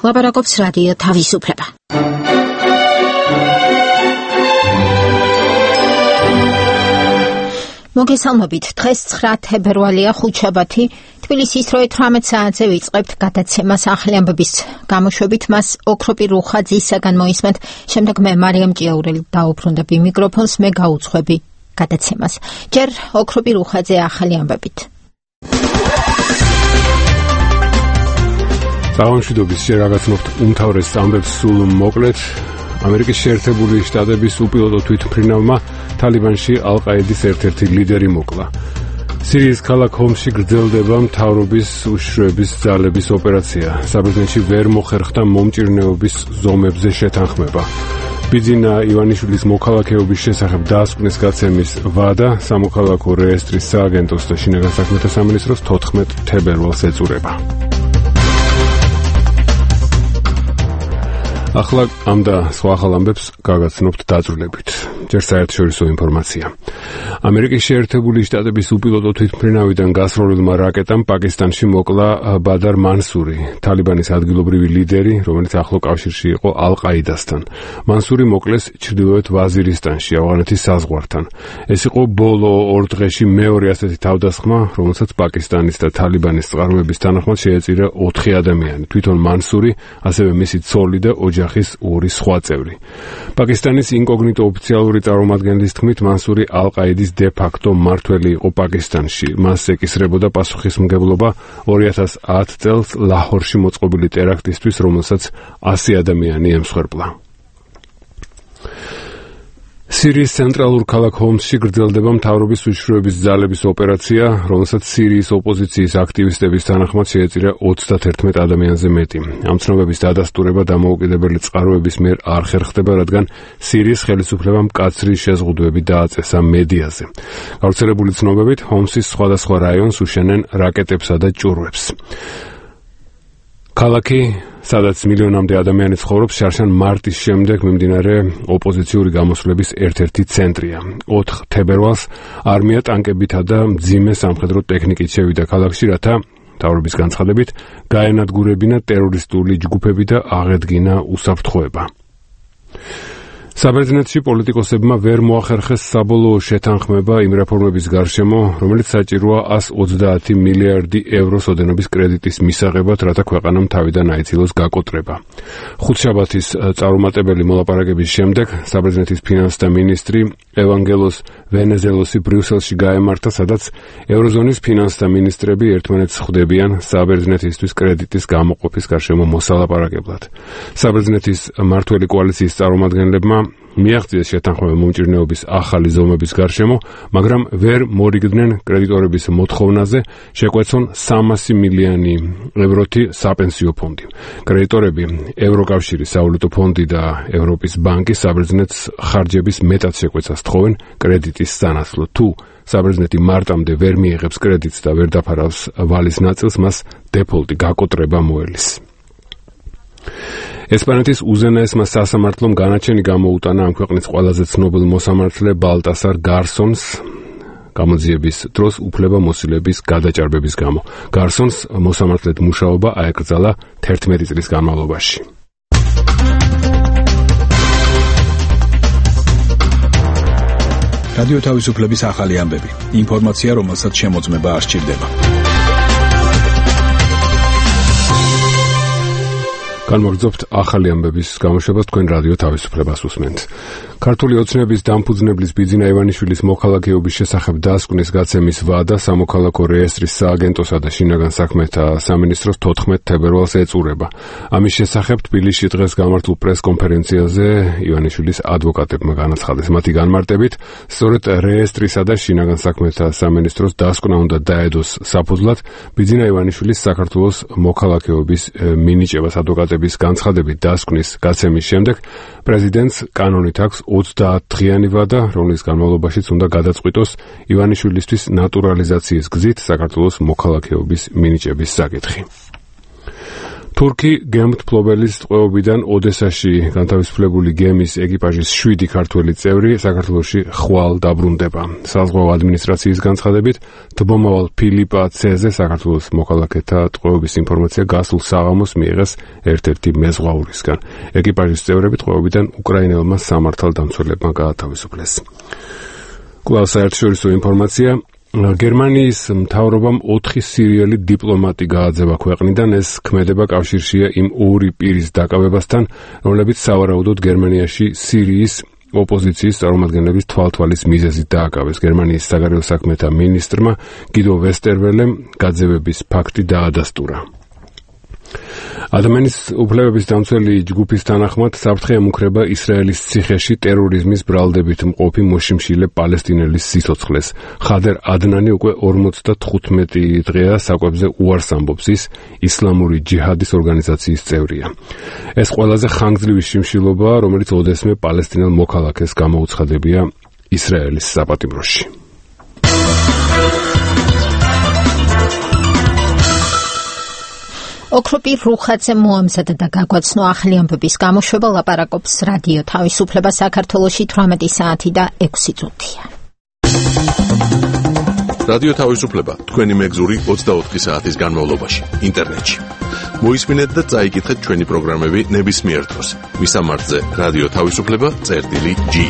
ლაპარაკობს რადიო თავისუფლება. მოგესალმებით, დღეს 9 თებერვალია, ხუთშაბათი. თბილისის დრო 18 საათზე ვიწყებთ გადაცემას ახალი ამბების გამოშვებით. მას ოქროპირ რუხაძისაგან მოისმენთ, შემდეგ მე მარიამ ჭიაურელი დაუბრუნდები მიკროფონს, მე გაუძღვები გადაცემას. ჯერ ოქროპირ რუხაძე ახალი ამბებით. სამშვიდობის შე რაღაცნაირად უმთავრეს ამბებს სულ მოკლედ. ამერიკის შეერთებული შტატების უპილოტო თვითმფრინავმა თალიბანში ალ-ყაიდის ერთ-ერთი ლიდერი მოკლა. სირიის ქალაქ ჰომსში გრძელდება მთავრობის უშიშროების ძალების ოპერაცია. საბერძნეთში ვერ მოხერხდა მომჭირნეობის ზომებზე შეთანხმება. ბიძინა ივანიშვილის მოქალაქეობის შესახებ დაასკვნის გაცემის ვადა სამოქალაქო რეესტრის სააგენტოს და შინაგან საქმეთა სამინისტროს 14 თებერვალს ეწურება. ახლა ამ და სხვა ახალ ამბებს გაგაცნობთ დაწვრილებით. ჯერ საერთაშორისო ინფორმაცია. ამერიკის შეერთებული შტატების უპილოტო თვითმფრინავიდან გასროლილმა რაკეტამ პაკისტანში მოკლა ბადარ მანსური, თალიბანის ადგილობრივი ლიდერი, რომელიც ახლო კავშირში იყო ალ-ყაიდასთან. მანსური მოკლეს ჩრდილოეთ ვაზირისტანში, ავღანეთის საზღვართან. ეს იყო ბოლო 2 დღეში მეორე ასეთი თავდასხმა, რომელსაც პაკისტანის და თალიბანის წყაროების თანახმად შეეწირა 4 ადამიანი. თვითონ მანსური, ასევე მისი ცოლი და ოჯახის 2 სხვა წევრი. პაკისტანის ინკოგნიტო ოფიციალური წარმომადგენლის თქმით, მანსური ალ-ყაიდის დე-ფაქტო მმართველი იყო პაკისტანში. მას ეკისრებოდა პასუხისმგებლობა 2010 წელს ლაჰორში მოწყობილი ტერაქტისთვის, რომელსაც 100 ადამიანი ემსხვერპლა. სირიის ცენტრალურ ქალაქ ჰომსში გრძელდება მთავრობის უშიშროების ძალების ოპერაცია, რომელსაც სირიის ოპოზიციის აქტივისტების თანახმად შეეწირა 31 ადამიანზე მეტი. ამ ცნობების დადასტურება დამოუკიდებელი წყაროების მიერ არ ხერხდება, რადგან სირიის ხელისუფლებამ მკაცრი შეზღუდვები დააწესა მედიაზე. გავრცელებული ცნობებით, ჰომსის სხვადასხვა რაიონს უშენენ რაკეტებსა და ჭურვებს. ქალაქი, სადაც მილიონამდე ადამიანი ცხოვრობს, შარშან მარტის შემდეგ მიმდინარე ოპოზიციური გამოსვლების ერთ-ერთი ცენტრია. 4 თებერვალს არმია ტანკებითა და მძიმე სამხედრო ტექნიკით შევიდა ქალაქში, რათა მთავრობის განცხადებით გაენადგურებინა ტერორისტული ჯგუფები და აღედგინა უსაფრთხოება. საბერძნეთში პოლიტიკოსებმა ვერ მოახერხეს საბოლოო შეთანხმება იმ რეფორმების გარშემო, რომელიც საჭიროა 130 მილიარდი ევროს ოდენობის კრედიტის მისაღებად, რათა ქვეყანამ თავიდან აიცილოს გაკოტრება. ხუთშაბათის წარუმატებელი მოლაპარაკების შემდეგ საბერძნეთის ფინანსთა მინისტრი ევანგელოს ვენეზელოსი ბრიუსელში გაემართა, სადაც ევროზონის ფინანსთა მინისტრები ერთმანეთს ხვდებიან საბერძნეთისთვის კრედიტის გამოყოფის გარშემო მოსალაპარაკებლად. საბერძნეთის მმართველი კოალიციის წარმომადგენლებმა მიაღწიეს შეთანხმება მომჭირნეობის ახალი ზომების გარშემო, მაგრამ ვერ მორიგდნენ კრედიტორების მოთხოვნაზე შეკვეცონ 300 მილიონი ევროთი საპენსიო ფონდი. კრედიტორები, ევროკავშირის სავალუტო ფონდი და ევროპის ბანკი საბერძნეთს ხარჯების მეტად შეკვეცას თხოვენ კრედიტის სანაცვლოდ. თუ საბერძნეთი მარტამდე ვერ მიიღებს კრედიტს და ვერ დაფარავს ვალის ნაწილს, მას დეფოლტი, გაკოტრება მოელის. ესპანეთის უზენაესმა სასამართლომ განაჩენი გამოუტანა ამ ქვეყნის ყველაზე ცნობილ მოსამართლე ბალტასარ გარსონს გამოძიების დროს უფლებამოსილების გადაჭარბების გამო. გარსონს მოსამართლედ მუშაობა აეკრძალა 11 წლის განმავლობაში. რადიო თავისუფლების ახალი ამბები. ინფორმაცია, რომელსაც შემოწმება არ სჭირდება. განმოგრძობთ ახალი ამბების გამოშვებას, თქვენ რადიო თავისუფლებას უსმენთ. ქართული ოცნების დამფუძნებლის ბიძინა ივანიშვილის მოქალაქეობის შესახებ დაასკვნის გაცემის ვადა სამოქალაქო რეესტრის სააგენტოსა და შინაგან საქმეთა სამინისტროს 14 თებერვალს ეწურება. ამის შესახებ თბილისში დღეს გამართულ პრესკონფერენციაზე ივანიშვილის ადვოკატებმა განაცხადეს. მათი განმარტებით, სწორედ რეესტრისა და შინაგან საქმეთა სამინისტროს დასკვნა უნდა დაედოს საფუძვლად ბიძინა ივანიშვილის საქართველოს მოქალაქეობის მინიჭებას. ადვოკატების განცხადებით დასკვნის გაცემის შემდეგ პრეზიდენტს კანონით აქვს 30 დღიანი ვადა, რომლის განმავლობაშიც უნდა გადაწყვიტოს ივანიშვილისთვის ნატურალიზაციის გზით საქართველოს მოქალაქეობის მინიჭების საკითხი. თურქი გემთმფლობელის ტყვეობიდან ოდესაში განთავისუფლებული გემის ეკიპაჟის 7 ქართველი წევრი საქართველოში ხვალ დაბრუნდება. საზღვაო ადმინისტრაციის განცხადებით, თბომავალ ფილიპა ცეზე საქართველოს მოქალაქეთა ტყვეობის ინფორმაცია გასულ საღამოს მიიღეს ერთ-ერთი მეზღვაურისგან. ეკიპაჟის წევრები ტყვეობიდან უკრაინელმა სამართალდამცველებმა გაათავისუფლეს. კვლავ საერთაშორისო ინფორმაცია. გერმანიის მთავრობამ 4 სირიელი დიპლომატი გააძევა ქვეყნიდან. ეს ქმედება კავშირშია იმ 2 პირის დაკავებასთან, რომლებიც სავარაუდოდ გერმანიაში სირიის ოპოზიციის წარმომადგენლების თვალთვალის მიზეზით დააკავეს. გერმანიის საგარეო საქმეთა მინისტრმა გიდო ვესტერველემ გაძევების ფაქტი დაადასტურა. ადამიანის უფლებების დამცველი ჯგუფის თანახმად საფრთხე ემუქრება ისრაელის ციხეში ტერორიზმის ბრალდებით მყოფი მოშიმშილე პალესტინელის სიცოცხლეს. ხადერ ადნანი უკვე 55 დღეა საკვებზე უარს ამბობს. ის ისლამური ჯიჰადის ორგანიზაციის წევრია. ეს ყველაზე ხანგრძლივი შიმშილობაა, რომელიც ოდესმე პალესტინელ მოქალაქეს გამოუცხადებია ისრაელის საპატიმროში. ოქროპი რუხაძე მოამზადა და გაგვაცნო ახალი ამბების გამოშვება. ლაპარაკობს რადიო თავისუფლება საქართველოში 18 საათი და 6 წუთია. რადიო თავისუფლება თქვენი მეგზური 24 საათის განმავლობაში ინტერნეტში. მოისმინეთ და წაიკითხეთ ჩვენი პროგრამები ნებისმიერ დროს. მისამართზე რადიო თავისუფლება.ge.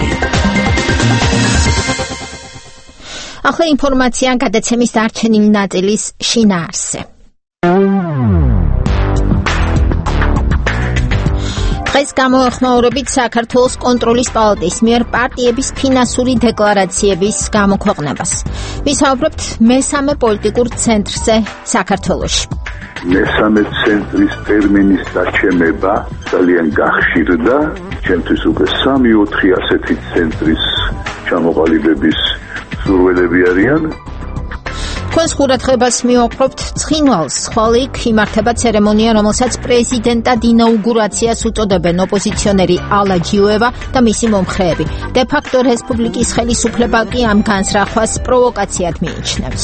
ახლა ინფორმაცია გადაცემის დარჩენილი ნაწილის შინაარსზე. დღეს გამოეხმაურებით საქართველოს კონტროლის პალატის მიერ პარტიების ფინანსური დეკლარაციების გამოქვეყნებას. ვისაუბრებთ მესამე პოლიტიკურ ცენტრზე საქართველოში. მესამე ცენტრის ტერმინის დაჩემება ძალიან გახშირდა. ჩემთვის უკვე 3-4 ასეთი ცენტრის ჩამოყალიბების სურვილები არიან. თქვენს ყურადღებას მივაყრობთ ცხინვალს. ხვალ იქ იმართება ცერემონია, რომელსაც პრეზიდენტად ინაუგურაციას უწოდებენ ოპოზიციონერი ალა ჯიუევა და მისი მომხრეები. დე-ფაქტო რესპუბლიკის ხელისუფლება კი ამ განზრახვას პროვოკაციად მიიჩნევს.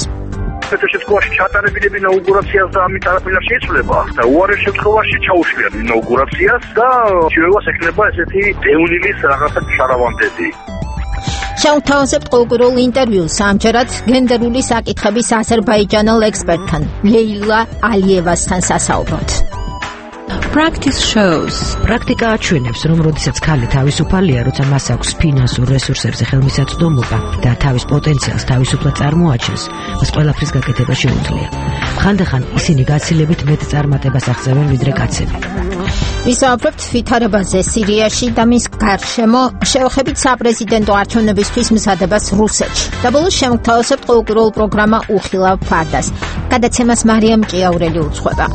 შემთხვევაში ჩატარებინები ინაუგურაციას და ამით არაფერი შეიცვლება და უარეს შემთხვევაში ჩაუშვიან ინაუგურაციას და ჯიუევას ექნება ესეთი დევნილის რაღაცა შარავანდები. შევთავაზებთ ყოველკვირეულ ინტერვიუს ამჯერად გენდერული საკითხების აზერბაიჯანელ ექსპერტთან ლეილა ალიევასთან სასაუბროთ. Practice shows. პრაქტიკა აჩვენებს, რომ როდესაც ქალი თავისუფალია, როცა მას აქვს ფინანსურ რესურსებზე ხელმისაწვდომობა და თავის პოტენციალს თავისუფლად წარმოაჩენს, მას ყველაფრის გაკეთება შეუძლია. ხანდახან ისინი გაცილებით მეტ წარმატებას აღწევენ ვიდრე კაცები. ვისაუბრებთ ვითარებაზე სირიაში და მის გარშემო, შევხედით საპრეზიდენტო არჩევნებისთვის მზადებას რუსეთში. და ბოლოს შევთავაზებთ ყოველკვირეულ პროგრამა უხილავ ფარდას. გადაცემას მარიამ ჭიაურელი უძღვება.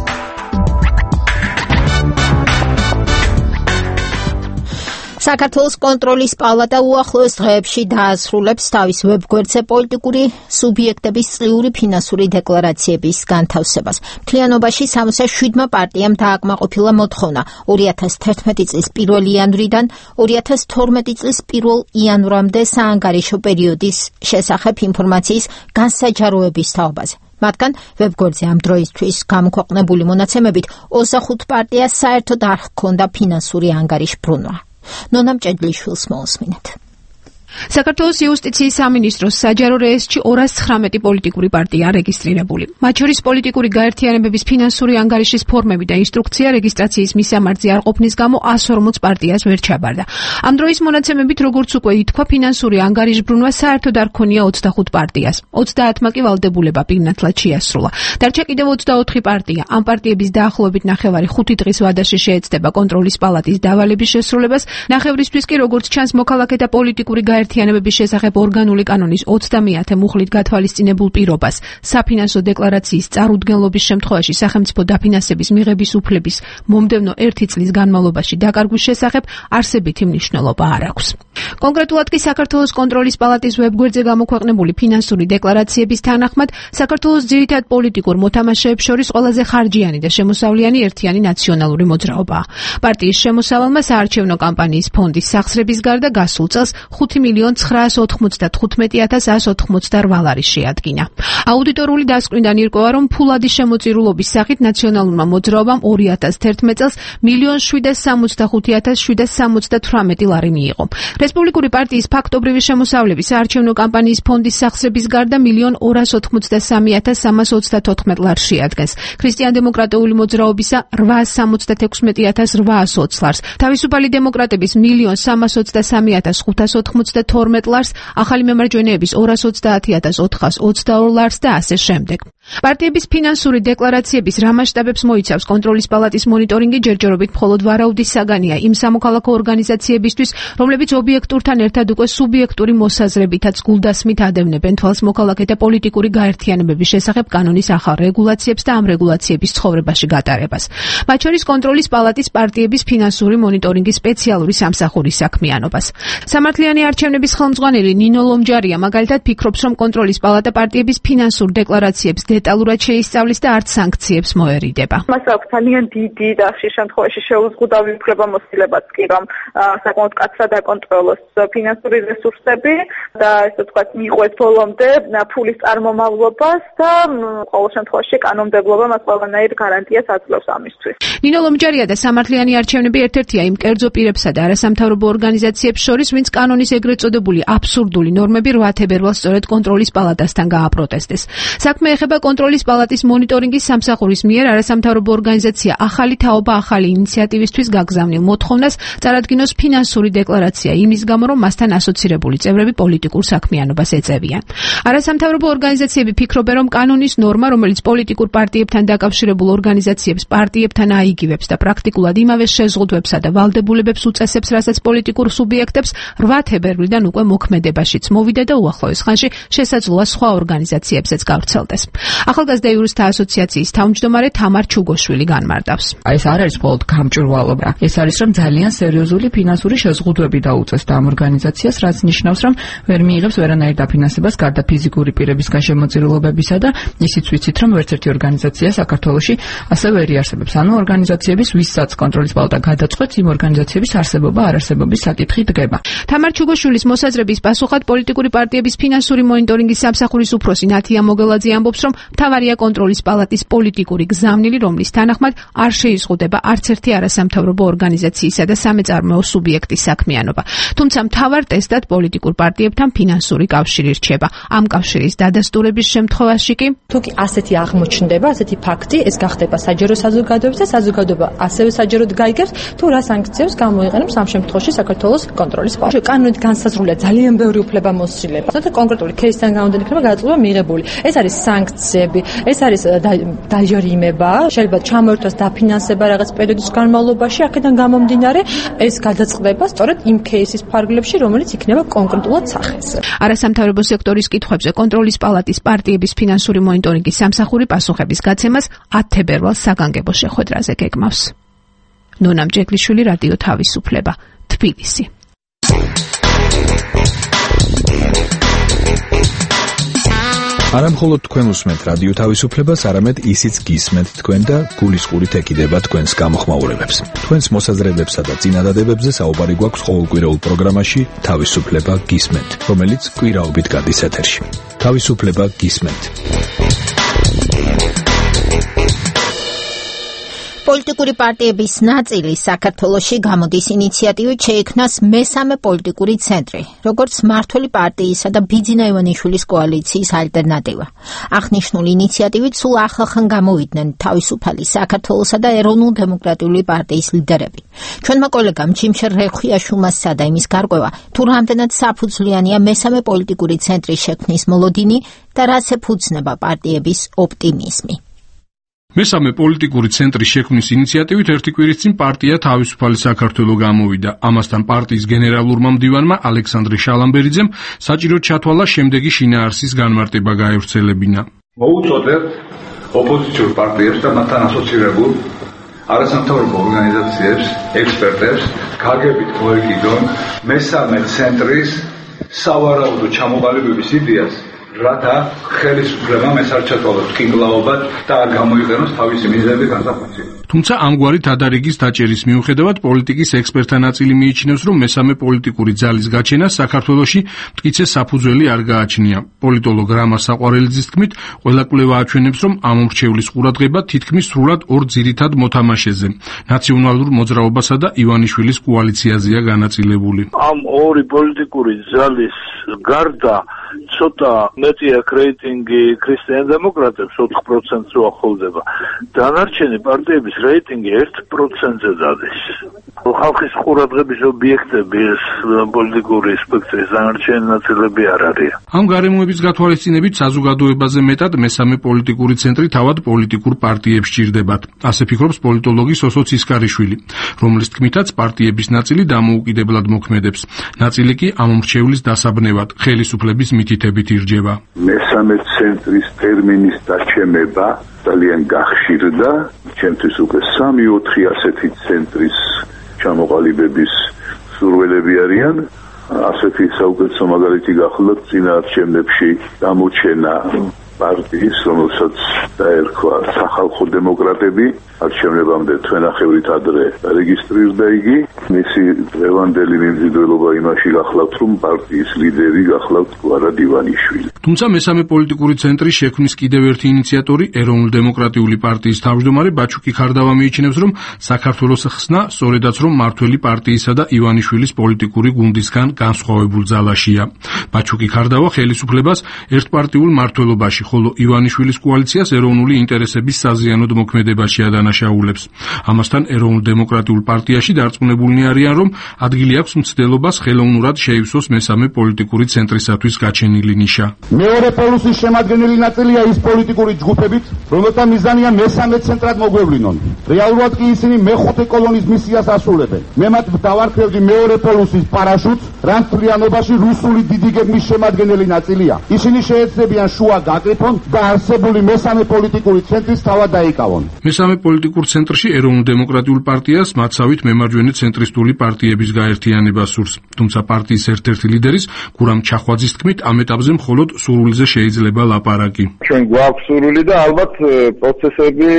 საქართველოს კონტროლის პალატა უახლოეს დღეებში დაასრულებს თავის ვებგვერდზე პოლიტიკური სუბიექტების წლიური ფინანსური დეკლარაციების განთავსებას. მთლიანობაში 67 პარტიამ დააკმაყოფილა მოთხოვნა 2011 წლის 1 იანვრიდან 2012 წლის 1 იანვრამდე საანგარიშო პერიოდის შესახებ ინფორმაციის განსაჯაროების თაობაზე. მათგან ვებგვერდზე ამ დროისთვის გამოქვეყნებული მონაცემებით 25 პარტიას საერთოდ არ ჰქონდა ფინანსური ანგარიშბრუნვა. ნონა მჭედლიშვილს მოусმინეთ. საქართველოს იუსტიციის სამინისტროს საჯარო რეესტრში 219 პოლიტიკური პარტია რეგისტრირებული. მათ შორის პოლიტიკური გაერთიანებების ფინანსური ანგარიშის ფორმები და ინსტრუქცია რეგისტრაციის მისამართზე არ ყოფნის გამო 140 პარტიას ვერ ჩაბარდა. ამ დროის მონაცემებით, როგორც უკვე ითქვა, ფინანსური ანგარიშბრუნვა საერთოდ არ ქონია 25 პარტიას. 30-მა კი ვალდებულება პირნათლად შეასრულა. დარჩა კიდევ 24 პარტია. ამ პარტიების დაახლოებით 9.5 დღის ვადაში შეეცდება კონტროლის პალატის დავალების შესრულებას. ნახევრისთვის კი, როგორც ჩანს, მოქალაქეთა პოლიტიკური გაერთიანებების შესახებ ორგანული კანონის 30-ე მუხლით გათვალისწინებულ პირობას საფინანსო დეკლარაციის წარუდგენლობის შემთხვევაში სახელმწიფო დაფინანსების მიღების უფლების მომდევნო 1 წლის განმავლობაში დაკარგვის შესახებ არსებითი მნიშვნელობა არ აქვს. კონკრეტულად კი საქართველოს კონტროლის პალატის ვებგვერდზე გამოქვეყნებული ფინანსური დეკლარაციების თანახმად საქართველოს ძირითად პოლიტიკურ მოთამაშეებს შორის ყველაზე ხარჯიანი და შემოსავლიანი ერთიანი ნაციონალური მოძრაობაა. პარტიის შემოსავალმა საარჩევნო კამპანიის ფონდის სახსრების გარდა გასულ წელს 5 1,995,188 ლარი შეადგინა. აუდიტორული დასკვნიდან ირკვევა, რომ ფულადი შემოწირულობის სახით ნაციონალურმა მოძრაობამ 2011 წელს 1,765,778 ლარი მიიღო. რესპუბლიკური პარტიის ფაქტობრივი შემოსავლების საარჩევნო კამპანიის ფონდის სახსრების გარდა 1,283,324 ლარს შეადგენს. ქრისტიან-დემოკრატიული მოძრაობისა 876,820 ლარს, თავისუფალი დემოკრატების 1,323,592 ლარს, ახალი მემარჯვენეების 230,422 ლარს და ასე შემდეგ. პარტიების ფინანსური დეკლარაციების რა მასშტაბებს მოიცავს კონტროლის პალატის მონიტორინგი ჯერჯერობით მხოლოდ ვარაუდის საგანია იმ სამოქალაქო ორგანიზაციებისთვის, რომლებიც ობიექტურთან ერთად უკვე სუბიექტური მოსაზრებითაც გულდასმით ადევნებენ თვალს მოქალაქეთა პოლიტიკური გაერთიანებების შესახებ კანონის ახალ რეგულაციებს და ამ რეგულაციების ცხოვრებაში გატარებას. მათ შორის კონტროლის პალატის პარტიების ფინანსური მონიტორინგის სპეციალური სამსახურის საქმიანობას. სამართლიანი არჩევნების ხელმძღვანელი ნინო ლომჯარია მაგალითად ფიქრობს, რომ კონტროლის პალატა პარტიების ფინანსურ დეკლარაციებს დეტალურად შეისწავლის და არც სანქციებს მოერიდება. მას აქვს ძალიან დიდი და ხშირ შემთხვევაში შეუზღუდავი უფლებამოსილებაც კი, რომ საკმაოდ მკაცრად აკონტროლოს ფინანსური რესურსები და ესე ვთქვათ, მიიღოს ბოლომდე ფულის წარმომავლობას და ყოველ შემთხვევაში კანონმდებლობა მას ყველანაირ გარანტიას აძლევს ამისთვის. ნინო ლომჯარია და სამართლიანი არჩევნები ერთ-ერთია იმ კერძო პირებსა და არასამთავრობო ორგანიზაციებს შორის, ვინც კანონის ეგრეთ წოდებული აბსურდული ნორმები 8 თებერვალს სწორედ კონტროლის პალატასთან გააპროტესტეს. საქმე ეხება კონტროლის პალატის მონიტორინგის სამსახურის მიერ არასამთავრობო ორგანიზაცია ახალი თაობა ახალი ინიციატივისთვის გაგზავნილ მოთხოვნას წარადგინოს ფინანსური დეკლარაცია იმის გამო, რომ მასთან ასოცირებული წევრები პოლიტიკურ საქმიანობას ეწევიან. არასამთავრობო ორგანიზაციები ფიქრობენ, რომ კანონის ნორმა, რომელიც პოლიტიკურ პარტიებთან დაკავშირებულ ორგანიზაციებს პარტიებთან აიგივებს და პრაქტიკულად იმავე შეზღუდვებსა და ვალდებულებებს უწესებს, რასაც პოლიტიკურ სუბიექტებს 8 თებერვლიდან უკვე მოქმედებაშიც მოვიდა და უახლოეს ხანში შესაძლოა სხვა ორგანიზაციებსაც გავრცელდეს. ახალგაზრდა იურისტთა ასოციაციის თავმჯდომარე თამარ ჩუგოშვილი განმარტავს. ეს არ არის მხოლოდ გამჭვირვალობა. ეს არის, რომ ძალიან სერიოზული ფინანსური შეზღუდვები დაუწეს და ამ ორგანიზაციას, რაც ნიშნავს, რომ ვერ მიიღებს ვერანაირ დაფინანსებას გარდა ფიზიკური პირებისგან შემოწირულობებისა და ისიც ვიცით, რომ ვერცერთი ორგანიზაცია საქართველოში ასე ვერ იარსებებს. ანუ ორგანიზაციების ვისაც კონტროლის პალატა გადაწყვეტს, იმ ორგანიზაციების არსებობა არარსებობის საკითხი დგება. თამარ ჩუგოშვილის მოსაზრების პასუხად პოლიტიკური პარტიების ფინანსური მონიტორინგის სამსახურის უფროსი ნათია მოგელაძე ამბობს, რომ მთავარია კონტროლის პალატის პოლიტიკური გზავნილი, რომლის თანახმად არ შეიზღუდება არც ერთი არასამთავრობო ორგანიზაციისა და სამეწარმოო სუბიექტის საქმიანობა. თუმცა მთავარ ტესტად პოლიტიკურ პარტიებთან ფინანსური კავშირი რჩება. ამ კავშირის დადასტურების შემთხვევაში კი თუ კი ასეთი აღმოჩნდება, ასეთი ფაქტი, ეს გახდება საჯარო საზოგადოების და საზოგადოება ასევე საჯაროდ გაიგებს, თუ რა სანქციებს გამოიყენებს ამ შემთხვევაში საქართველოს კონტროლის პალატა. კანონით განსაზღვრულია ძალიან ბევრი უფლებამოსილება. თუმცა კონკრეტული кейსთან გამომდინარე იქნება გადაწყვეტა მიღებული. ეს არის სანქციები, ეს არის დაჯარიმება, შეიძლება ჩამოერთვას დაფინანსება რაღაც პერიოდის განმავლობაში, აქედან გამომდინარე ეს გადაწყდება სწორედ იმ кейსის ფარგლებში, რომელიც იქნება კონკრეტულად სახეს. არასამთავრობო სექტორის კითხვებზე კონტროლის პალატის პარტიების ფინანსური მონიტორინგის სამსახური პასუხების გაცემას 10 თებერვალს საგანგებო შეხვედრაზე გეგმავს. ნონა მჭექლიშვილი, რადიო თავისუფლება, თბილისი. არა მხოლოდ თქვენ უსმენთ რადიო თავისუფლებას, არამედ ისიც გისმენთ თქვენ და გულისყურით ეკიდება თქვენს გამოხმაურებებს. თქვენს მოსაზრებებსა და წინადადებებზე საუბარი გვაქვს ყოველკვირეულ პროგრამაში თავისუფლება გისმენთ, რომელიც კვირაობით გადის ეთერში. თავისუფლება გისმენთ. პოლიტიკური პარტიების ნაწილი საქართველოში გამოდის ინიციატივით შეიქმნას მესამე პოლიტიკური ცენტრი, როგორც მმართველი პარტიისა და ბიძინა ივანიშვილის კოალიციის ალტერნატივა. აღნიშნული ინიციატივით სულ ახლახან გამოვიდნენ თავისუფალი საქართველოსა და ეროვნულ-დემოკრატიული პარტიის ლიდერები. ჩვენმა კოლეგამ ჩიმშერ რეხვიაშვილმა სცადა იმის გარკვევა, თუ რამდენად საფუძვლიანია მესამე პოლიტიკური ცენტრის შექმნის მოლოდინი და რას ეფუძნება პარტიების ოპტიმიზმი. მესამე პოლიტიკური ცენტრის შექმნის ინიციატივით ერთი კვირის წინ პარტია თავისუფალი საქართველო გამოვიდა. ამასთან პარტიის გენერალურმა მდივანმა ალექსანდრე შალამბერიძემ საჭიროდ ჩათვალა შემდეგი შინაარსის განმარტება გაევრცელებინა. მოუწოდებ ოპოზიციურ პარტიებს და მათთან ასოცირებულ არასამთავრობო ორგანიზაციებს, ექსპერტებს გაგებით მოეკიდონ მესამე ცენტრის სავარაუდო ჩამოყალიბების იდეას რათა ხელისუფლებამ ეს არ ჩათვალოს ტკინკლაობად და არ გამოიყენოს თავისი მიზნები განსახილველი. თუმცა ამგვარი თადარიგის დაჭერის მიუხედავად პოლიტიკის ექსპერტთა ნაწილი მიიჩნევს, რომ მესამე პოლიტიკური ძალის გაჩენას საქართველოში მტკიცე საფუძველი არ გააჩნია. პოლიტოლოგ რამაზ საყვარელიძის თქმით, ყველა კვლევა აჩვენებს, რომ ამომრჩევლის ყურადღება თითქმის სრულად ორ ძირითად მოთამაშეზე, ნაციონალურ მოძრაობასა და ივანიშვილის კოალიციაზეა განაწილებული. ამ ორი პოლიტიკური ძალის გარდა ცოტა მეტია რეიტინგი ქრისტიან დემოკრატებს 4%-ს უახლოვდება. დანარჩენი პარტიების რეიტინგი 1%-ზე დადის. ხალხის ყურადღების ობიექტები ეს პოლიტიკური სპექტრის დანარჩენი ნაწილები არ არის. ამ გარემოების გათვალისწინებით საზოგადოებაზე მეტად მესამე პოლიტიკური ცენტრი თავად პოლიტიკურ პარტიებს სჭირდებათ. ასე ფიქრობს პოლიტოლოგი სოსო ცისკარიშვილი, რომლის თქმითაც პარტიების ნაწილი დამოუკიდებლად მოქმედებს. ნაწილი კი ამომრჩევლის დასაბნევად ხელისუფლების მითითებით ირჯება. მესამე ცენტრის ტერმინის დაჩემება ძალიან გახშირდა, ჩემთვის უკვე 3-4 ასეთი ცენტრის ჩამოყალიბების სურვილები არიან. ასეთი საუკეთესო მაგალითი გახლავთ წინაარჩევნებში გამოჩენა პარტიის, რომელსაც დაერქვა სახალხო დემოკრატები, არჩევნებამდე თვენახევრით ადრე რეგისტრირდა იგი. მისი დღევანდელი მიმზიდველობა იმაში გახლავთ, რომ პარტიის ლიდერი გახლავთ გვარად ივანიშვილი. თუმცა მესამე პოლიტიკური ცენტრის შექმნის კიდევ ერთი ინიციატორი, ეროვნულ-დემოკრატიული პარტიის თავმჯდომარე ბაჩუკი ქარდავა მიიჩნევს, რომ საქართველოს ხსნა სწორედაც რომ მართველი პარტიისა და ივანიშვილის პოლიტიკური გუნდისგან განსხვავებულ ძალაშია. ბაჩუკი ქარდავა ხელისუფლებას ერთპარტიულ მმართველობაში, ხოლო ივანიშვილის კოალიციას ეროვნული ინტერესების საზიანოდ მოქმედებაში ადანაშაულებს. ამასთან ეროვნულ-დემოკრატიულ პარტიაში დარწმუნებულნი არიან, რომ ადგილი აქვს მცდელობას ხელოვნურად შეივსოს მესამე პოლიტიკური ცენტრისათვის გაჩენილი ნიშა. მეორე პოლუსის შემადგენელი ნაწილია ის პოლიტიკური ჯგუფებით, რომელთა მიზანია მესამე ცენტრად მოგვევლინონ. რეალურად კი ისინი მეხუთე კოლონის მისიას ასრულებენ. მე მათ დავარქმევდი მეორე პოლუსის პარაშუტს, რაც მთლიანობაში რუსული დიდი გეგმის შემადგენელი ნაწილია. ისინი შეეცდებიან შუა გაკრიფონ და არსებული მესამე პოლიტიკური ცენტრის თავად დაიკავონ. მესამე პოლიტიკურ ცენტრში ეროვნულ-დემოკრატიულ პარტიას მათსავით მემარჯვენე ცენტრისტული პარტიების გაერთიანება სურს. თუმცა პარტიის ერთ-ერთი ლიდერის გურამ ჩახვაძის თქმით, ამ ეტაპზე მხოლოდ სურვილზე შეიძლება ლაპარაკი. ჩვენ გვაქვს სურვილი და ალბათ პროცესები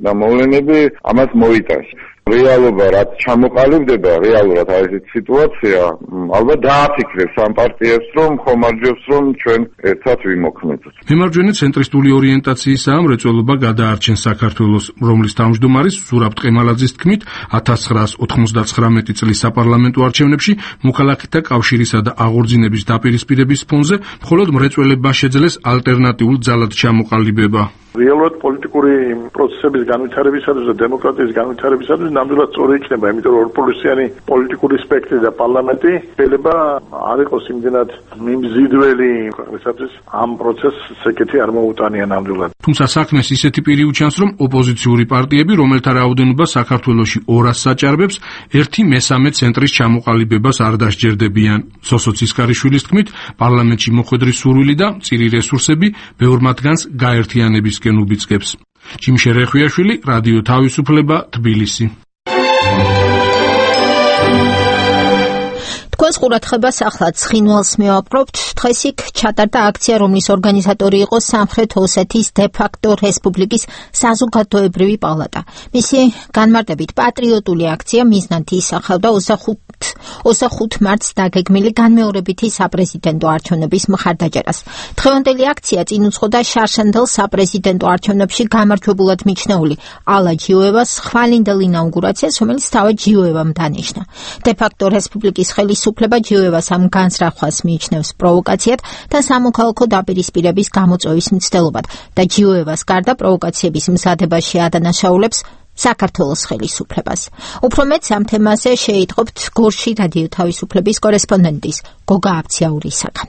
და მოვლენები ამას მოიტანს. რეალობა რაც ჩამოყალიბდება, რეალურად არის ეს სიტუაცია, ალბათ დააფიქრებს ამ პარტიებს, რომ ხომარჯვებს, რომ ჩვენ ერთად ვიმოქმედოთ. მემარჯვენე ცენტრისტული ორიენტაციისაა მრეწველობა გადაარჩენს საქართველოს, რომლის თავმჯდომარის ზურაბ ტყემალაძის თქმით, 1999 წლის საპარლამენტო არჩევნებში მოქალაქეთა კავშირისა და აღორძინების დაპირისპირების ფონზე მხოლოდ მრეწველებმა შეძლეს ალტერნატიულ ძალად ჩამოყალიბება. რეალურად პოლიტიკური პროცესების განვითარებისათვის და დემოკრატიის განვითარებისათვის ნამდვილად სწორი იქნება, იმიტომ რომ ორპოლუსიანი პოლიტიკური სპექტრი და პარლამენტი შეიძლება არ იყოს იმდენად მიმზიდველი ქვეყნისათვის ამ პროცესს ეკეთი არ მოუტანია ნამდვილად. თუმცა საქმეს ისეთი პირი უჩანს, რომ ოპოზიციური პარტიები, რომელთა რაოდენობა საქართველოში 200 საჭარბებს, ერთი მესამე ცენტრის ჩამოყალიბებას არ დასჯერდებიან. სოსო ცისკარიშვილის თქმით, პარლამენტში მოხვედრის სურვილი და მწირი რესურსები ბევრ მათგანს გაერთიანების უბიძგებს. ჯიმშე რეხვიაშვილი, რადიო თავისუფლება, თბილისი. თქვენს ყურადღებას ახლა ცხინვალს მივაპყრობთ. დღეს იქ ჩატარდა აქცია, რომლის ორგანიზატორი იყო სამხრეთ ოსეთის დე-ფაქტო რესპუბლიკის საზოგადოებრივი პალატა. მისი განმარტებით პატრიოტული აქცია მიზნად ისახავდა 25 მარტს დაგეგმილი განმეორებითი საპრეზიდენტო არჩევნების მხარდაჭერას. დღევანდელი აქცია წინ უძღოდა შარშანდელ საპრეზიდენტო არჩევნებში გამარჯვებულად მიჩნეული ალა ჯიუევას ხვალინდელ ინაუგურაციას, რომელიც თავად ჯიუევამ დანიშნა. დე-ფაქტო რესპუბლიკის ხელისუფლება ჯიუევას ამ განზრახვას მიიჩნევს პროვოკაციად და სამოქალაქო დაპირისპირების გამოწვევის მცდელობად და ჯიუევას გარდა პროვოკაციების მზადებაში ადანაშაულებს საქართველოს ხელისუფლებას. უფრო მეტს ამ თემაზე შეიტყობთ გორში რადიო თავისუფლების კორესპონდენტის გოგა აბციაურისაგან.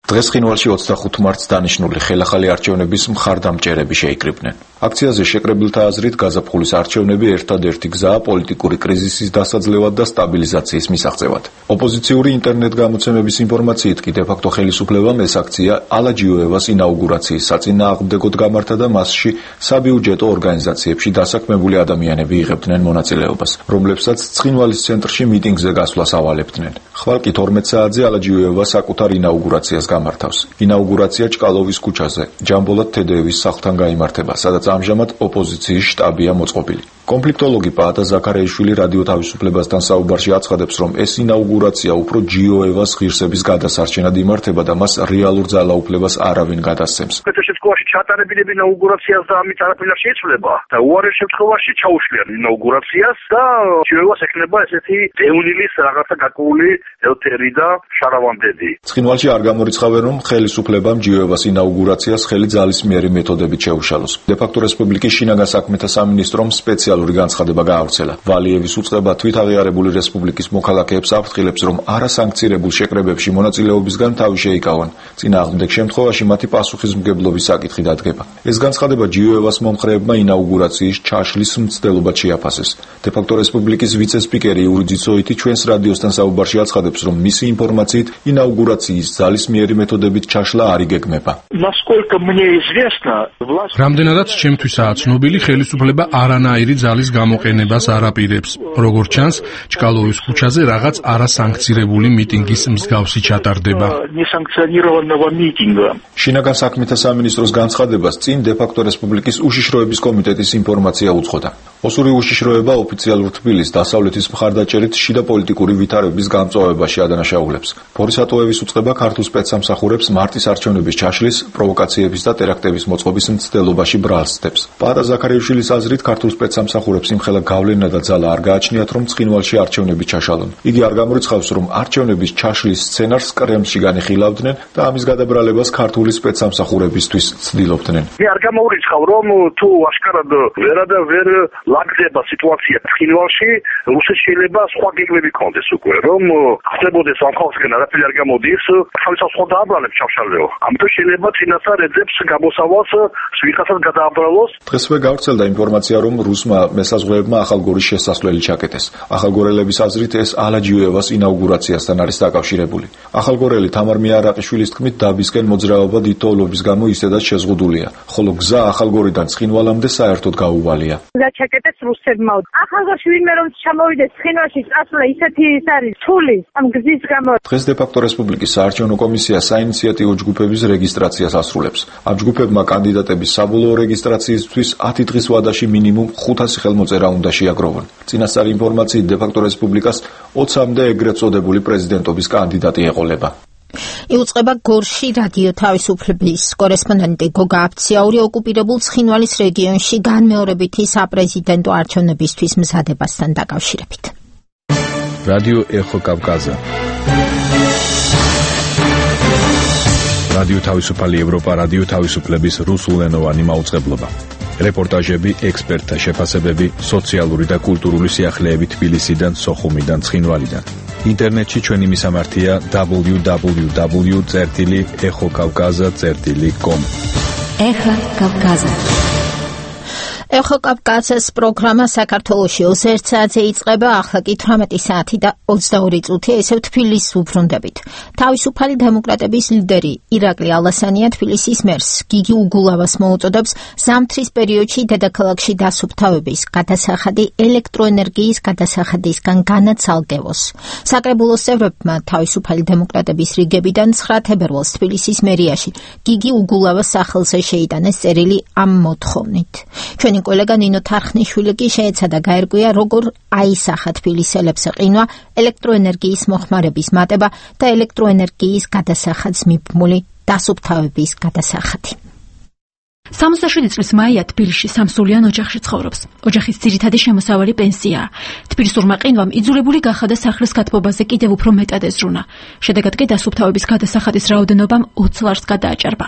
დღეს ცხინვალში 25 მარტს დანიშნული ხელახალი არჩევნების მხარდამჭერები შეიკრიბნენ. აქციაზე შეკრებილთა აზრით გაზაფხულის არჩევნები ერთადერთი გზაა პოლიტიკური კრიზისის დასაძლევად და სტაბილიზაციის მისაღწევად. ოპოზიციური ინტერნეტ გამოცემების ინფორმაციით კი დე-ფაქტო ხელისუფლებამ ეს აქცია ალაჯიოევას ინაუგურაციის საწინააღმდეგოდ გამართა და მასში საბიუჯეტო ორგანიზაციებში დასაქმებული ადამიანები იღებდნენ მონაწილეობას, რომლებსაც ცხინვალის ცენტრში მიტინგზე გასვლას ავალებდნენ. ხვალ კი 12 საათზე ალაჯიოევა საკუთარ ინაუგურაციას გამართავს. ინაუგურაცია ჭკალოვის ქუჩაზე, ჯამბოლად თედეევის სახლთან გაიმართება, სადაც ამჟამად ოპოზიციის შტაბია მოწყობილი. კონფლიქტოლოგი პაატა ზაქარიაშვილი რადიო თავისუფლებასთან საუბარში აცხადებს, რომ ეს ინაუგურაცია უფრო ჯიოევას ღირსების გადასარჩენად იმართება და მას რეალურ ძალაუფლებას არავინ გადასცემს. შემთხვევაში ჩატარებინები ინაუგურაციას და ამით არაფერი არ შეიცვლება და უარეს შემთხვევაში ჩაუშლიან ინაუგურაციას და ჯიოევას ექნება ესეთი დევნილის რაღაცა გაკული ელთერი და შარავანდედი. ცხინვალში არ გამორიცხავენ, რომ ხელისუფლებამ ჯიოევას ინაუგურაციას ხელი ძალისმიერი მეთოდებით შეუშალოს. დე-ფაქტო რესპუბლიკის შინაგან საქმეთა სამინისტრომ სპეციალური განცხადება გაავრცელა. ვალიევის უწყება თვითაღიარებული რესპუბლიკის მოქალაქეებს აფრთხილებს, რომ არასანქცირებულ შეკრებებში მონაწილეობისგან თავი შეიკავონ. წინააღმდეგ შემთხვევაში მათი პასუხისმგებლობის საკითხი დადგება. ეს განცხადება ჯიოევას მომხრეებმა ინაუგურაციის ჩაშლის მცდელობად შეაფასეს. დე-ფაქტო რესპუბლიკის ვიცე-სპიკერი იური ძოითი ჩვენს რადიოსთან საუბარში აცხადებს, რომ მისი ინფორმაციით ინაუგურაციის ძალისმიერი მეთოდებით ჩაშლა არ იგეგმება. რამდენადაც ჩემთვისაა ცნობილი, ხელისუფლება არანაირი ძალის გამოყენებას არ აპირებს. როგორც ჩანს, ჭკალოვის ქუჩაზე რაღაც არასანქცირებული მიტინგის მსგავსი ჩატარდება. შინაგან საქმეთა სამინისტროს განცხადებას წინ დე-ფაქტო რესპუბლიკის უშიშროების კომიტეტის ინფორმაცია უძღოდა. ოსური უშიშროება ოფიციალურ თბილისს დასავლეთის მხარდაჭერით შიდა პოლიტიკური ვითარების გამწვავებაში ადანაშაულებს. ფორისატოების უწყება ქართულ სპეცსამსახურებს მარტის არჩევნების ჩაშლის, პროვოკაციების და ტერაქტების მოწყობის მცდელობაში ბრალს ცდებს. პაატა ზაქარიაშვილის აზრით, ქართულ სპეცსამსახურებს იმხელა გავლენა და ძალა არ გააჩნიათ, რომ ცხინვალში არჩევნები ჩაშალონ. იგი არ გამორიცხავს, რომ არჩევნების ჩაშლის სცენარს კრემლში განიხილავდნენ და ამის გადაბრალებას ქართული სპეცსამსახურებისთვის ცდილობდნენ. არ გამოურიცხავ, რომ თუ აშკარად ვერ ლაგდება სიტუაცია ცხინვალში, რუსეთს შეიძლება სხვა გეგმები ქონდეს უკვე, რომ ხდებოდეს ამ ხალხსგან არაფერი არ გამოდის, თავისას სხვა დააბრალებს ჩავშალეო. ამიტომ შეიძლება წინასწარ ეძებს გამოსავალს ვიღაცას გადააბრალოს. დღესვე გავრცელდა ინფორმაცია, რომ რუსმა მესაზღვრეებმა ახალგორის შესასვლელი ჩაკეტეს. ახალგორელების აზრით ეს ალაჯიოევას ინაუგურაციასთან არის დაკავშირებული. ახალგორელი თამარ მიარაყიშვილის თქმით, დაბისკენ მოძრაობა დიდ თოვლობის გამო ისედაც შეზღუდულია, ხოლო გზა ახალგორიდან ცხინვალამდე საერთოდ გაუვალია. ჩაკეტეს რუსებმა. ახალგორში ვინმე რომ ჩამოვიდეს ცხინვალში წასვლა ისეთი ის არის თული ამ გზის გამო. დღეს დე-ფაქტო რესპუბლიკის საარჩევნო კომისია საინიციატივო ჯგუფების რეგისტრაციას ასრულებს. ამ ჯგუფებმა კანდიდატების საბოლოო რეგისტრაციისთვის 10 დღის ვადაში მინიმუმ 500 ხელმოწერა უნდა შეაგროვონ. წინასწარი ინფორმაციით დე-ფაქტო რესპუბლიკას 20-მდე ეგრეთ წოდებული პრეზიდენტობის კანდიდატი ეყოლება. იუწყება გორში რადიო თავისუფლების კორესპონდენტი გოგა აფციაური ოკუპირებულ ცხინვალის რეგიონში განმეორებითი საპრეზიდენტო არჩევნებისთვის მზადებასთან დაკავშირებით. რადიო ეხო კავკაზა. რადიო თავისუფალი ევროპა, რადიო თავისუფლების რუსულენოვანი მაუწყებლობა. რეპორტაჟები, ექსპერტთა შეფასებები, სოციალური და კულტურული სიახლეები თბილისიდან, სოხუმიდან, ცხინვალიდან. ინტერნეტში ჩვენი მისამართია www.ეხოკავკაზა.com. ეხა კავკაზა. ეხო კავკაზას პროგრამა საქართველოში 21 საათზე იწყება, ახლა კი 18 საათი და 22 წუთი, ესე თბილისს უბრუნდებით. თავისუფალი დემოკრატების ლიდერი ირაკლი ალასანია თბილისის მერს გიგი უგულავას მოუწოდებს ზამთრის პერიოდში დედაქალაქში დასუფთავების გადასახადი ელექტროენერგიის გადასახადისგან განაცალკევოს. საკრებულოს წევრებმა თავისუფალი დემოკრატების რიგებიდან 9 თებერვალს თბილისის მერიაში გიგი უგულავას სახელზე შეიტანეს წერილი ამ მოთხოვნით. ჩვენი კოლეგა ნინო თარხნიშვილი კი შეეცადა გაერკვია, როგორ აისახა თბილისელებს ყინვა, ელექტროენერგიის მოხმარების მატება და ელექტროენერგიის გადასახადს მიბმული დასუფთავების გადასახადი. 67 წლის მაია თბილისში სამსულიან ოჯახში ცხოვრობს. ოჯახის ძირითადი შემოსავალი პენსიაა. თბილისურმა ყინვამ იძულებული გახადა სახლის გათბობაზე კიდევ უფრო მეტად ეზრუნა. შედეგად კი დასუფთავების გადასახადის რაოდენობამ 20 ლარს გადააჭარბა.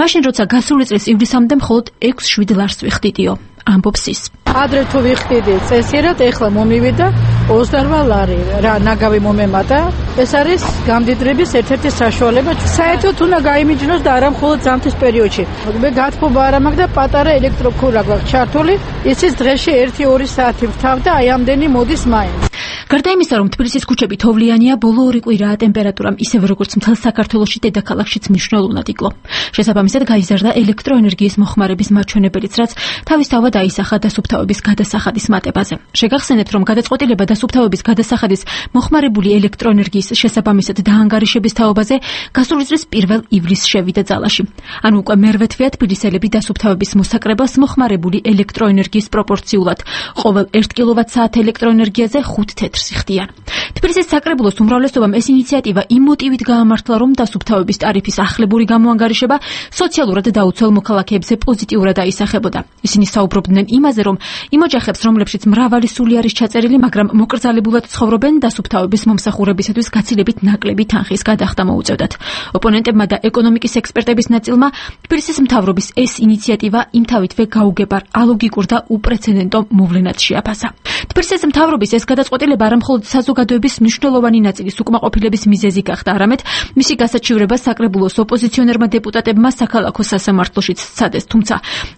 მაშინ როცა გასული წლის ივლისამდე მხოლოდ 6-7 ლარს ვიხდიდიო. ამბობს ის. ადრე თუ ვიხდიდი წესიერად, ეხლა მომივიდა 28 ლარი რა ნაგავი მომემატა. ეს არის გამდიდრების ერთ-ერთი საშუალება. საერთოდ უნდა გაიმიჯნოს და არა მხოლოდ ზამთრის პერიოდში. მე გათბობა არ მაქვს და პატარა ელექტროქურა გვაქვს ჩართული, ისიც დღეში 1-2 საათი ვთავ და აი ამდენი მოდის მაინც. გარდა იმისა, რომ თბილისის ქუჩები თოვლიანია, ბოლო 2 კვირაა ტემპერატურამ ისევ როგორც მთელ საქართველოში დედაქალაქშიც მნიშვნელოვნად იკლო. შესაბამისად გაიზარდა ელექტროენერგიის მოხმარების მაჩვენებელიც, რაც თავისთავად აისახა დასუფთავების გადასახადის მატებაზე. შეგახსენებთ, რომ გადაწყვეტილება დასუფთავების გადასახადის მოხმარებული ელექტროენერგიის შესაბამისად დაანგარიშების თაობაზე გასული წლის 1 ივლისს შევიდა ძალაში. ანუ უკვე მერვე თვეა თბილისელები დასუფთავების მოსაკრებელს მოხმარებული ელექტროენერგიის პროპორციულად ყოველ 1 კილოვატ-საათ ელექტროენერგიაზე 5 თეთრს იხდიან. თბილისის საკრებულოს უმრავლესობამ ეს ინიციატივა იმ მოტივით გაამართლა, რომ დასუფთავების ტარიფის ახლებური გამოანგარიშება სოციალურად დაუცველ მოქალაქეებზე პოზიტიურად აისახებოდა. ისინი საუბრობდნენ იმაზე, რომ იმ ოჯახებს, რომლებშიც მრავალი სული არის ჩაწერილი, მაგრამ მოკრძალებულად ცხოვრობენ, დასუფთავების მომსახურებისათვის გაცილებით ნაკლები თანხის გადახდა მოუწევდათ. ოპონენტებმა და ეკონომიკის ექსპერტების ნაწილმა თბილისის მთავრობის ეს ინიციატივა იმთავითვე გაუგებარ, ალოგიკურ და უპრეცედენტო მოვლენად შეაფასა. თბილისის მთავრობის ეს გადაწყვეტილება არა მხოლოდ საზოგადოების მნიშვნელოვანი ნაწილის უკმაყოფილების მიზეზი გახდა, არამედ მისი გასაჩივრება საკრებულოს ოპოზიციონერმა დეპუტატებმა საქალაქო სასამართლოშიც სცადეს. თუმცა,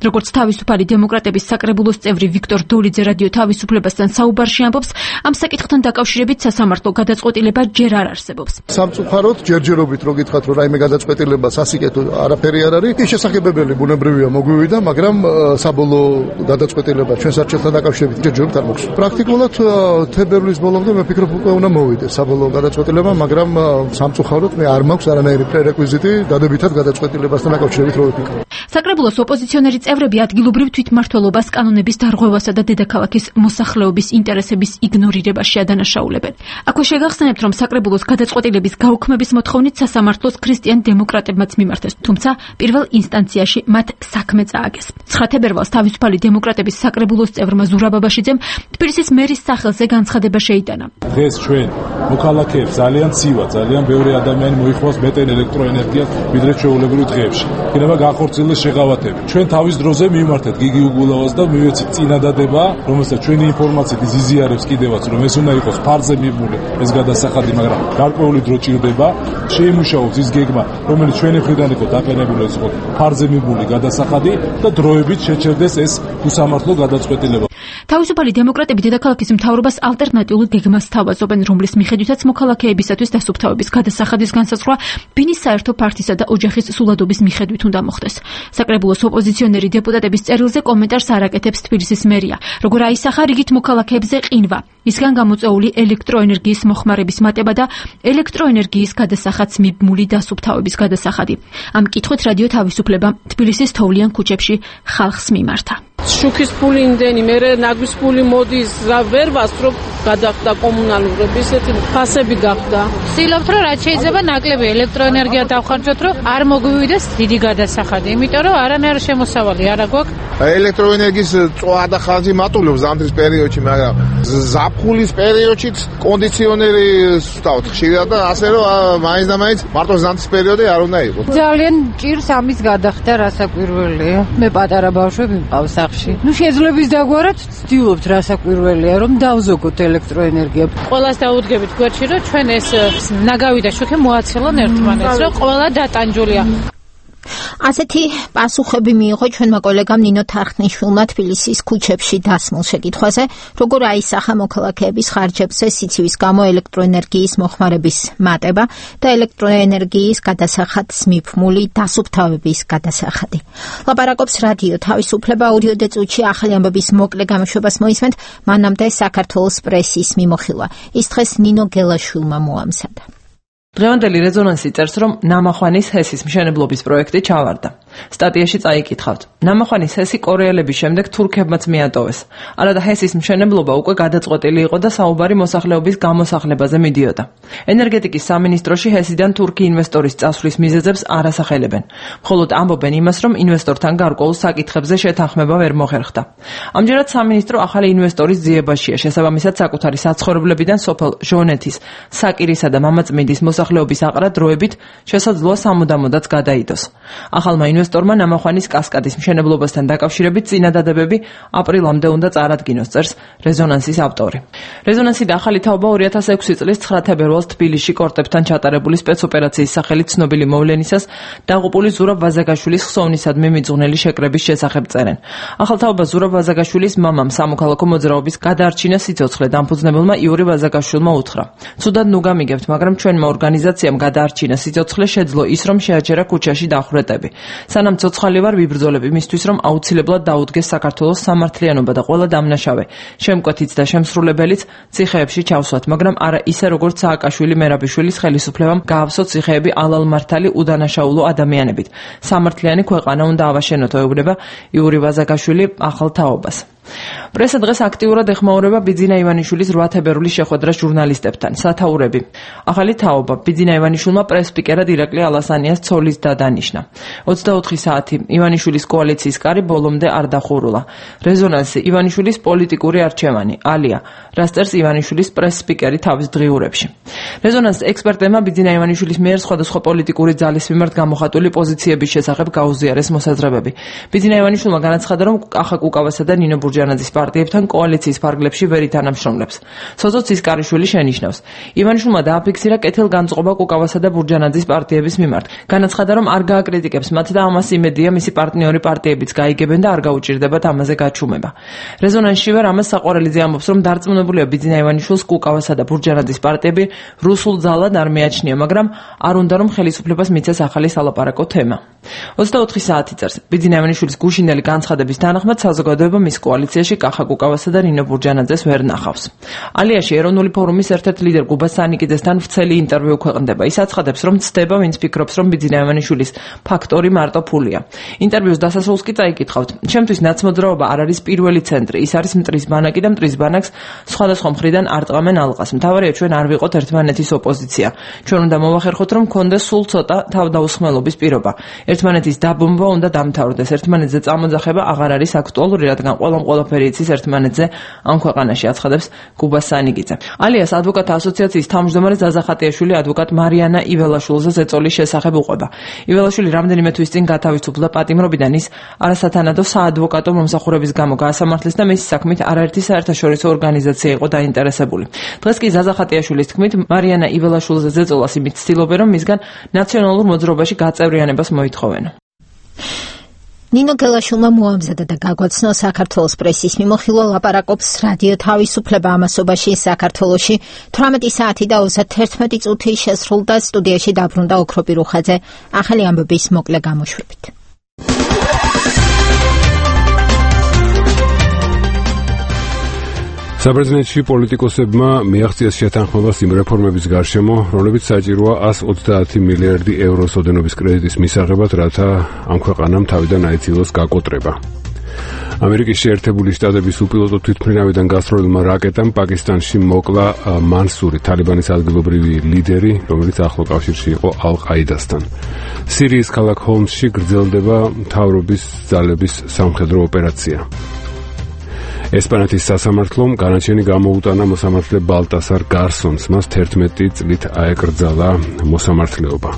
როგორც თავისუფალი დემოკრატების საკრებულოს წევრი ვიქტორ დოლიძე რადიო თავისუფლებასთან საუბარში ამბობს, ამ საკითხთან დაკავშირებით სასამართლო გადაწყვეტილება ჯერ არ არსებობს. სამწუხაროდ ჯერჯერობით რო გითხრათ, რომ რაიმე გადაწყვეტილება სასიკეთო არაფერი არ არის, ის შესაძლებელი ბუნებრივია მოგვივიდა, მაგრამ საბოლოო გადაწყვეტილება ჩვენ საერთაშორისო დაკავშირებით ჯერჯერობით არ მოხდა. პრაქტიკულად თებერვლის ბოლომდე მე ვფიქრობ უკვე უნდა მოვიდეს საბოლოო გადაწყვეტილება, მაგრამ სამწუხაროდ მე არ მაქვს არანაირი პრერეკვიზიტი დადებითად გადაწყვეტილებასთან დაკავშირებით რო ვიფიქრე. საკრებულოს ოპოზიციონერი წევრები ადგილობრივ თვითმმართველობას კანონების დარღვევასა და დედაქალაქის მოსახლეობის ინტერესების იგნორირებაში ადანაშაულებენ. აქვე შეგახსენებთ, რომ საკრებულოს გადაწყვეტილების გაუქმების მოთხოვნით სასამართლოს ქრისტიან დემოკრატებმაც მიმართეს, თუმცა პირველ ინსტანციაში მათ საქმე წააგეს. 9 თებერვალს თავისუფალი დემოკრატების საკრებულოს წევრმა ზურაბ ბაბაშიძემ თბილისის მერის სახელზე განცხადება შეიტანა. დღეს ჩვენ მოქალაქეებს ძალიან ცივა, ძალიან ბევრი ადამიანი მოიხმარს მეტენ ელექტროენერგიას ვიდრე ჩვეულებრივ დღეებში. იქნება განხორციელდეს შეღავათები. ჩვენ თავის დროზე მივმართეთ გიგი უგულავას და მივეცით წინადადება, რომელსაც ჩვენი ინფორმაციით იზიარებს კიდევაც, რომ ეს უნდა იყოს ფარზე მიბმული ეს გადასახადი, მაგრამ გარკვეული დრო ჭირდება. შეიმუშაოს ის გეგმა, რომელიც ჩვენი მხრიდან იყო დაყენებული, ეს იყო ფარზე მიბმული გადასახადი და დროებით შეჩერდეს ეს უსამართლო გადაწყვეტილება. თავისუფალი დემოკრატები დედაქალაქის მთავრობას ალტერნატიულ გეგმას თავაზობენ, რომლის მიხედვითაც მოქალაქეებისათვის დასუფთავების გადასახადის განსაზღვრა ბინის საერთო ფართისა და ოჯახის სულადობის მიხედვით უნდა მოხდეს. საკრებულოს ოპოზიციონერი დეპუტატების წერილზე კომენტარს არ აკეთებს თბილისის მერია. როგორ აისახა რიგით მოქალაქეებზე ყინვა, ისგან გამოწვეული ელექტროენერგიის მოხმარების მატება და ელექტროენერგიის გადასახადს მიბმული დასუფთავების გადასახადი. ამ კითხვით რადიო თავისუფლება თბილისის თოვლიან ქუჩებში ხალხს მიმართა. შუქის ფული იმდენი, მე ნაგვის ფული მოდის, რა ვერ ვასწრობ, გადახდა კომუნალურები, ესეთი ფასები გახდა. ვცდილობთ, რომ რაც შეიძლება ნაკლები ელექტროენერგია დავხარჯოთ, რომ არ მოგვივიდეს დიდი გადასახადი, იმიტომ რომ არანაირი შემოსავალი არ აქვს. ელექტროენერგიის წვა და ხარჯი მატულობს ზამთრის პერიოდში, მაგრამ ზაფხულის პერიოდშიც კონდიციონერი ვსვავთ ხშირად და ასე რომ მაინც და მაინც მარტო ზამთრის პერიოდი არ უნდა იყოს. ძალიან ჭირს ამის გადახდა, რასაკვირველია. მე პატარა ბავშვები მყავს სახში. ნუ შეძლებს დაგვარად ვცდილობთ რასაკვირველია, რომ დავზოგოთ ელექტროენერგია. ყველას დაუდგებით გვერდში, რომ ჩვენ ეს ნაგავი და შუქი მოაცელონ ერთმანეთს, რომ ყველა დატანჯულია. ასეთი პასუხები მიიღო ჩვენმა კოლეგამ ნინო თარხნიშვილმა თბილისის ქუჩებში დასმულ შეკითხვაზე, როგორ აისახა მოქალაქეების ხარჯებზე სიცივის გამო ელექტროენერგიის მოხმარების მატება და ელექტროენერგიის გადასახადს მიბმული დასუფთავების გადასახადი. ლაპარაკობს რადიო თავისუფლება, აუდიო წუთში ახალი ამბების მოკლე გამოშვებას მოისმენთ, მანამდე საქართველოს პრესის მიმოხილვა. ის დღეს ნინო გელაშვილმა მოამზადა. დღევანდელი რეზონანსი წერს, რომ ნამახვანის ჰესის მშენებლობის პროექტი ჩავარდა. სტატიაში წაიკითხავთ. ნამახვანის ჰესი კორეელების შემდეგ თურქებმაც მიატოვეს. არადა ჰესის მშენებლობა უკვე გადაწყვეტილი იყო და საუბარი მოსახლეობის გამოსახლებაზე მიდიოდა. ენერგეტიკის სამინისტროში ჰესიდან თურქი ინვესტორის წასვლის მიზეზებს არ ასახელებენ. მხოლოდ ამბობენ იმას, რომ ინვესტორთან გარკვეულ საკითხებზე შეთანხმება ვერ მოხერხდა. ამჯერად სამინისტრო ახალი ინვესტორის ძიებაშია, შესაბამისად საკუთარი საცხოვრებლებიდან სოფელ ჟონეთის, საკირისა და მამაწმინდის მოსახლეობის აყრა დროებით შესაძლოა სამუდამოდაც გადაიდოს. ახალმა ინვესტორმა ნამახვანის კასკადის მშენებლობასთან დაკავშირებით წინადადებები აპრილამდე უნდა წარადგინოს, წერს რეზონანსის ავტორი. რეზონანსი და ახალი თაობა 2006 წლის 9 თებერვალს თბილისში კორტებთან ჩატარებული სპეცოპერაციის სახელით ცნობილი მოვლენისას დაღუპული ზურაბ ვაზაგაშვილის ხსოვნისადმი მიძღვნელი შეკრების შესახებ წერენ. ახალთაობა ზურაბ ვაზაგაშვილის მამამ სამოქალაქო მოძრაობის გადაარჩინა სიცოცხლე დამფუძნებელმა იური ვაზაგაშვილმა უთხრა. "ცუდად ნუ გამიგებთ, მაგრამ ჩვენმა ორგანიზაციამ გადაარჩინა სიცოცხლე, შეძლო ის, რომ შეაჩერა ქუჩაში დახვრეტები. სანამ ცოცხალი ვარ, ვიბრძოლებ იმისთვის, რომ აუცილებლად დაუდგეს საქართველოს სამართლიანობა და ყველა დამნაშავე, შემკვეთიც და შემსრულებელიც ციხეებში ჩავსვათ, მაგრამ არა ისე, როგორც სააკაშვილი მერაბიშვილის ხელისუფლებამ გაავსო ციხეები ალალმართალი უდანაშაულო ადამიანებით. სამართლიანი ქვეყანა უნდა ავაშენოთ", ეუბნება იური ვაზაგაშვილი ახალ თაობას. პრესა დღეს აქტიურად ეხმაურება ბიძინა ივანიშვილის 8 თებერვლის შეხვედრას ჟურნალისტებთან. სათაურები. ახალი თაობა ბიძინა ივანიშვილმა პრეს-სპიკერად ირაკლი ალასანიას ცოლის დადანიშნა. 24 საათი ივანიშვილის კოალიციის კარი ბოლომდე არ დახურულა. რეზონანსი ივანიშვილის პოლიტიკური არჩევანი. ალია. რას წერს ივანიშვილის პრეს-სპიკერი თავის დღიურებში. რეზონანს ექსპერტებმა ბიძინა ივანიშვილის მიერ სხვადასხვა პოლიტიკური ძალის მიმართ გამოხატული პოზიციების შესახებ გაუზიარეს მოსაზრებები. ბიძინა ივანიშვილმა განაცხადა, რომ კახა კუკავასა და ნინო ბურჯანაძის პარტიებთან კოალიციის ფარგლებში ვერ ითანამშრომლებს. სოწო ცისკარიშვილი შენიშნავს. ივანიშვილმა დააფიქსირა კეთილგანწყობა კუკავასა და ბურჯანაძის პარტიების მიმართ. განაცხადა, რომ არ გააკრიტიკებს მათ და ამას იმედია მისი პარტნიორი პარტიებიც გაიგებენ და არ გაუჭირდებათ ამაზე გაჩუმება. რეზონანსშივე რამაზ საყვარელიძე ამბობს, რომ დარწმუნებულია ბიძინა ივანიშვილს კუკავასა და ბურჯანაძის პარტიები რუსულ ძალად არ მიაჩნია, მაგრამ არ უნდა რომ ხელისუფლებას მიცეს ახალი სალაპარაკო თემა. 24 საათი წერს. ბიძინა ივანიშვილის გუშინდელი განცხადების თანახმად საზოგადოება მის კოალიციაში კახა კუკავასა და ნინო ბურჯანაძეს ვერ ნახავს. ალიაში ეროვნული ფორუმის ერთ-ერთ ლიდერ გუბა სანიკიძესთან ვრცელი ინტერვიუ ქვეყნდება. ის აცხადებს, რომ ცდება, ვინც ფიქრობს, რომ ბიძინა ივანიშვილის ფაქტორი მარტო ფულია. ინტერვიუს დასასრულს კი წაიკითხავთ. "ჩემთვის ნაცმოძრაობა არ არის პირველი ცენტრი, ის არის მტრის ბანაკი და მტრის ბანაკს სხვადასხვა მხრიდან არტყამენ ალყას. მთავარია ჩვენ არ ვიყოთ ერთმანეთის ოპოზიცია. ჩვენ უნდა მოვახერხოთ, რომ კონდეს სულ ცოტა თავდაუსხმელობის პირობა. ერთმანეთის დაბომბვა უნდა დამთავრდეს. ერთმანეთზე წამოძახება აღარ არის აქტუალური, რადგან ყველაფერი იცის ერთმანეთზე ამ ქვეყანაში", აცხადებს გუბა სანიკიძე. ალიას ადვოკატთა ასოციაციის თავმჯდომარე ზაზა ხატიაშვილი ადვოკატ მარიანა იველაშვილზე ზეწოლის შესახებ უყვება. იველაშვილი რამდენიმე თვის წინ გათავისუფლდა პატიმრობიდან. ის არასათანადო საადვოკატო მომსახურების გამო გაასამართლეს და მისი საქმით არაერთი საერთაშორისო ორგანიზაცია იყო დაინტერესებული. დღეს კი ზაზა ხატიაშვილის თქმით, მარიანა იველაშვილზე ზეწოლას იმით ცდილობენ, რომ მისგან ნაციონალურ მოძრაობაში გაწევრიანებას მოითხოვენ. ნინო გელაშვილმა მოამზადა და გაგვაცნო საქართველოს პრესის მიმოხილვა ლაპარაკობს რადიო თავისუფლება ამასობაში საქართველოში 18 საათი და 31 წუთი შესრულდა სტუდიაში დაბრუნდა ოქროპი რუხაძე ახალი ამბების მოკლე გამოშვებით. საბერძნეთში პოლიტიკოსებმა მიაღწიეს შეთანხმებას იმ რეფორმების გარშემო, რომლებიც საჭიროა 130 მილიარდი ევროს ოდენობის კრედიტის მისაღებად, რათა ამ ქვეყანამ თავიდან აიძულოს გაკოტრება. ამერიკის შეერთებული შტატების უპილოტო თვითმფრინავიდან გასროლილმა რაკეტამ პაკისტანში მოკლა მანსური, თალიბანის ადგილობრივი ლიდერი, რომელიც ახლო კავშირში იყო ალ-ყაიდასთან. სირიის ქალაქ ჰომსში გრძელდება მთავრობის ძალების სამხედრო ოპერაცია. ესპანეთის სასამართლომ განაჩენი გამოუტანა მოსამართლე ბალტასარ გარსონს, მას 11 წლით აეკრძალა მოსამართლეობა.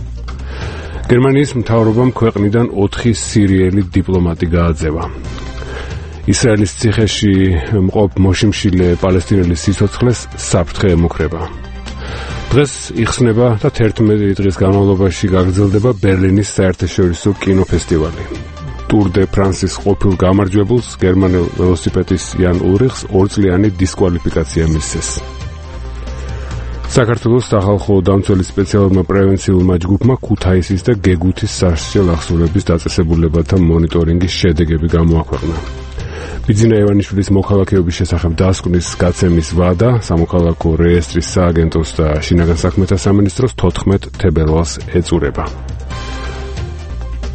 გერმანიის მთავრობამ ქვეყნიდან 4 სირიელი დიპლომატი გააძევა. ისრაელის ციხეში მყოფ მოშიმშილე პალესტინელის სიცოცხლეს საფრთხე ემუქრება. დღეს იხსნება და 11 დღის განმავლობაში გაგრძელდება ბერლინის საერთაშორისო კინოფესტივალი. ტურ დე ფრანსის ყოფილ გამარჯვებულს გერმანელ ველოსიპედის იან ულრიხს 2 წლიანი დისკვალიფიკაცია მისცეს. საქართველოს სახალხო დამცველის სპეციალურმა პრევენციულმა ჯგუფმა ქუთაისის და გეგუთის სასჯელ ახსოვების დაწესებულებათა მონიტორინგის შედეგები გამოაქვეყნა. ბიძინა ივანიშვილის მოქალაქეობის შესახებ დასკვნის გაცემის ვადა სამოქალაქო რეესტრის სააგენტოს და შინაგან საქმეთა სამინისტროს 14 თებერვალს ეწურება.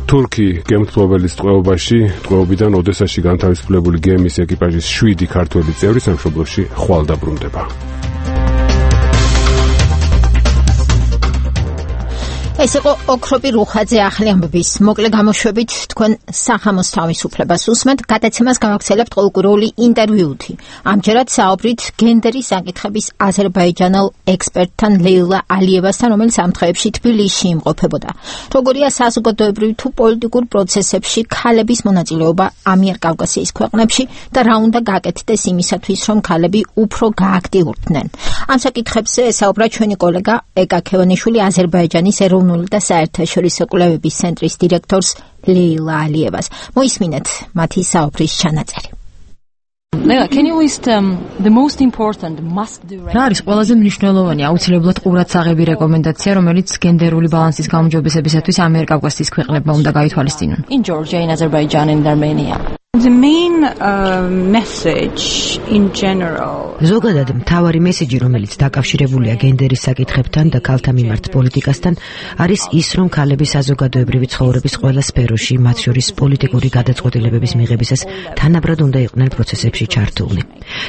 თურქი გემთმშობელის ტყვეობიდან ოდესაში განთავისუფლებული გემის ეკიპაჟის 7 ქართველი წევრი სამშობლოში ხვალ დაბრუნდება. ეს იყო ოქროპი რუხაძე ახალი ამბების მოკლე გამოშვებით თქვენ სახამოს თავისუფლებას უსმენთ გადაცემას გავაგრძელებთ ყოველკვირეული ინტერვიუთი ამჯერად საუბრით გენდერის საკითხების აზერბაიჯანელ ექსპერტთან ლეილა ალიევასთან რომელიც ამ დღეებში თბილისში იმყოფებოდა როგორია საზოგადოებრივ თუ პოლიტიკურ პროცესებში ქალების მონაწილეობა ამიერკავკასიის ქვეყნებში და რა უნდა გაკეთდეს იმისათვის რომ ქალები უფრო გააქტიურდნენ ამ საკითხებზე საუბრა ჩვენი კოლეგა ეკა ქევანიშვილი აზერბაიჯანის და საერთაშორისო კვლევების ცენტრის დირექტორს ლეილა ალიევას. მოისმინეთ მათი საუბრის ჩანაწერი. Leila, can you list the most important must do? რა არის ყველაზე მნიშვნელოვანი აუცილებლად ყურადსაღები რეკომენდაცია, რომელიც გენდერული ბალანსის გაუმჯობესებისათვის ამიერკავკასიის ქვეყნებმა უნდა გაითვალისწინონ? In Georgia, in Azerbaijan and Armenia. The main message in general. ზოგადად მთავარი მესიჯი, რომელიც დაკავშირებულია გენდერის საკითხებთან და ქალთა მიმართ პოლიტიკასთან, არის ის, რომ ქალები საზოგადოებრივი ცხოვრების ყველა სფეროში, მათ შორის პოლიტიკური გადაწყვეტილებების მიღებისას, თანაბრად უნდა იყვნენ პროცესებში ჩართულნი.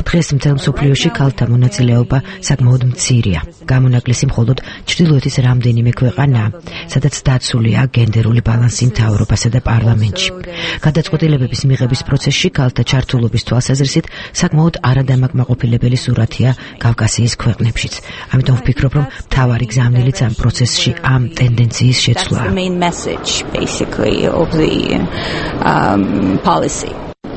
დღეს მთელ მსოფლიოში ქალთა მონაწილეობა საკმაოდ მცირეა. გამონაკლისი მხოლოდ ჩრდილოეთის რამდენიმე ქვეყანაა, სადაც დაცულია გენდერული ბალანსი მთავრობასა და პარლამენტში. გადაწყვეტილებების მიღების პროცესში ქალთა ჩართულობის თვალსაზრისით საკმაოდ არადამაკმაყოფილებელი სურათია კავკასიის ქვეყნებშიც. ამიტომ ვფიქრობ, რომ მთავარი გზავნილიც ამ პროცესში ამ ტენდენციის შეცვლაა.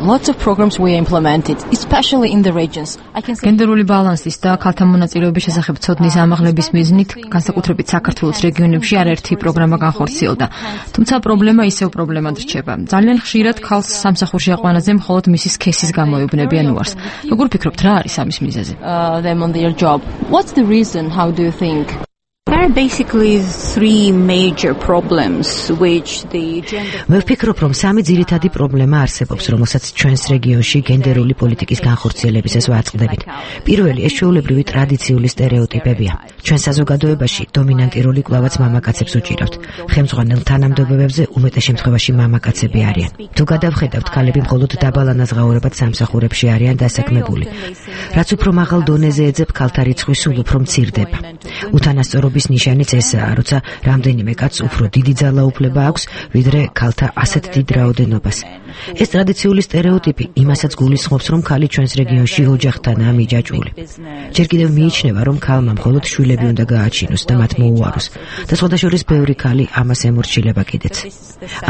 Lots of programs we implemented, especially in the regions. გენდერული ბალანსის და ქალთა მონაწილეობის შესახებ ცოდნის ამაღლების მიზნით, განსაკუთრებით საქართველოს რეგიონებში არაერთი პროგრამა განხორციელდა. თუმცა პრობლემა ისევ პრობლემად რჩება. ძალიან ხშირად ქალს სამსახურში აყვანაზე მხოლოდ მისი სქესის გამო ეუბნებიან უარს. როგორ ფიქრობთ, რა არის ამის მიზეზი? Them on their job. What's the reason? How do you think? There are basically three major problems which the gender. მე ვფიქრობ, რომ სამი ძირითადი პრობლემა არსებობს, რომელსაც ჩვენს რეგიონში გენდერული პოლიტიკის განხორციელებისას ვაწყდებით. პირველი, ეს ჩვეულებრივი ტრადიციული სტერეოტიპებია. ჩვენ საზოგადოებაში დომინანტი როლი კვლავაც მამაკაცებს უჭირავთ. ხელმძღვანელ თანამდებობებზე უმეტეს შემთხვევაში მამაკაცები არიან. თუ გადავხედავთ, ქალები მხოლოდ დაბალ ანაზღაურებად სამსახურებში არიან დასაქმებული. რაც უფრო მაღალ დონეზე ეძებ, ქალთა რიცხვი სულ უფრო მცირდება. უთანასწორობის ნიშანიც ესაა, როცა რამდენიმე კაცს უფრო დიდი ძალაუფლება აქვს, ვიდრე ქალთა ასეთ დიდ რაოდენობას. ეს ტრადიციული სტერეოტიპი იმასაც გულისხმობს, რომ ქალი ჩვენს რეგიონში ოჯახთანაა მიჯაჭვული. ჯერ კიდევ მიიჩნევა, რომ ქალმა მხოლოდ შვილები უნდა გააჩინოს და მათ მოუაროს და სხვადასხვა ბევრი ქალი ამას ემორჩილება კიდეც.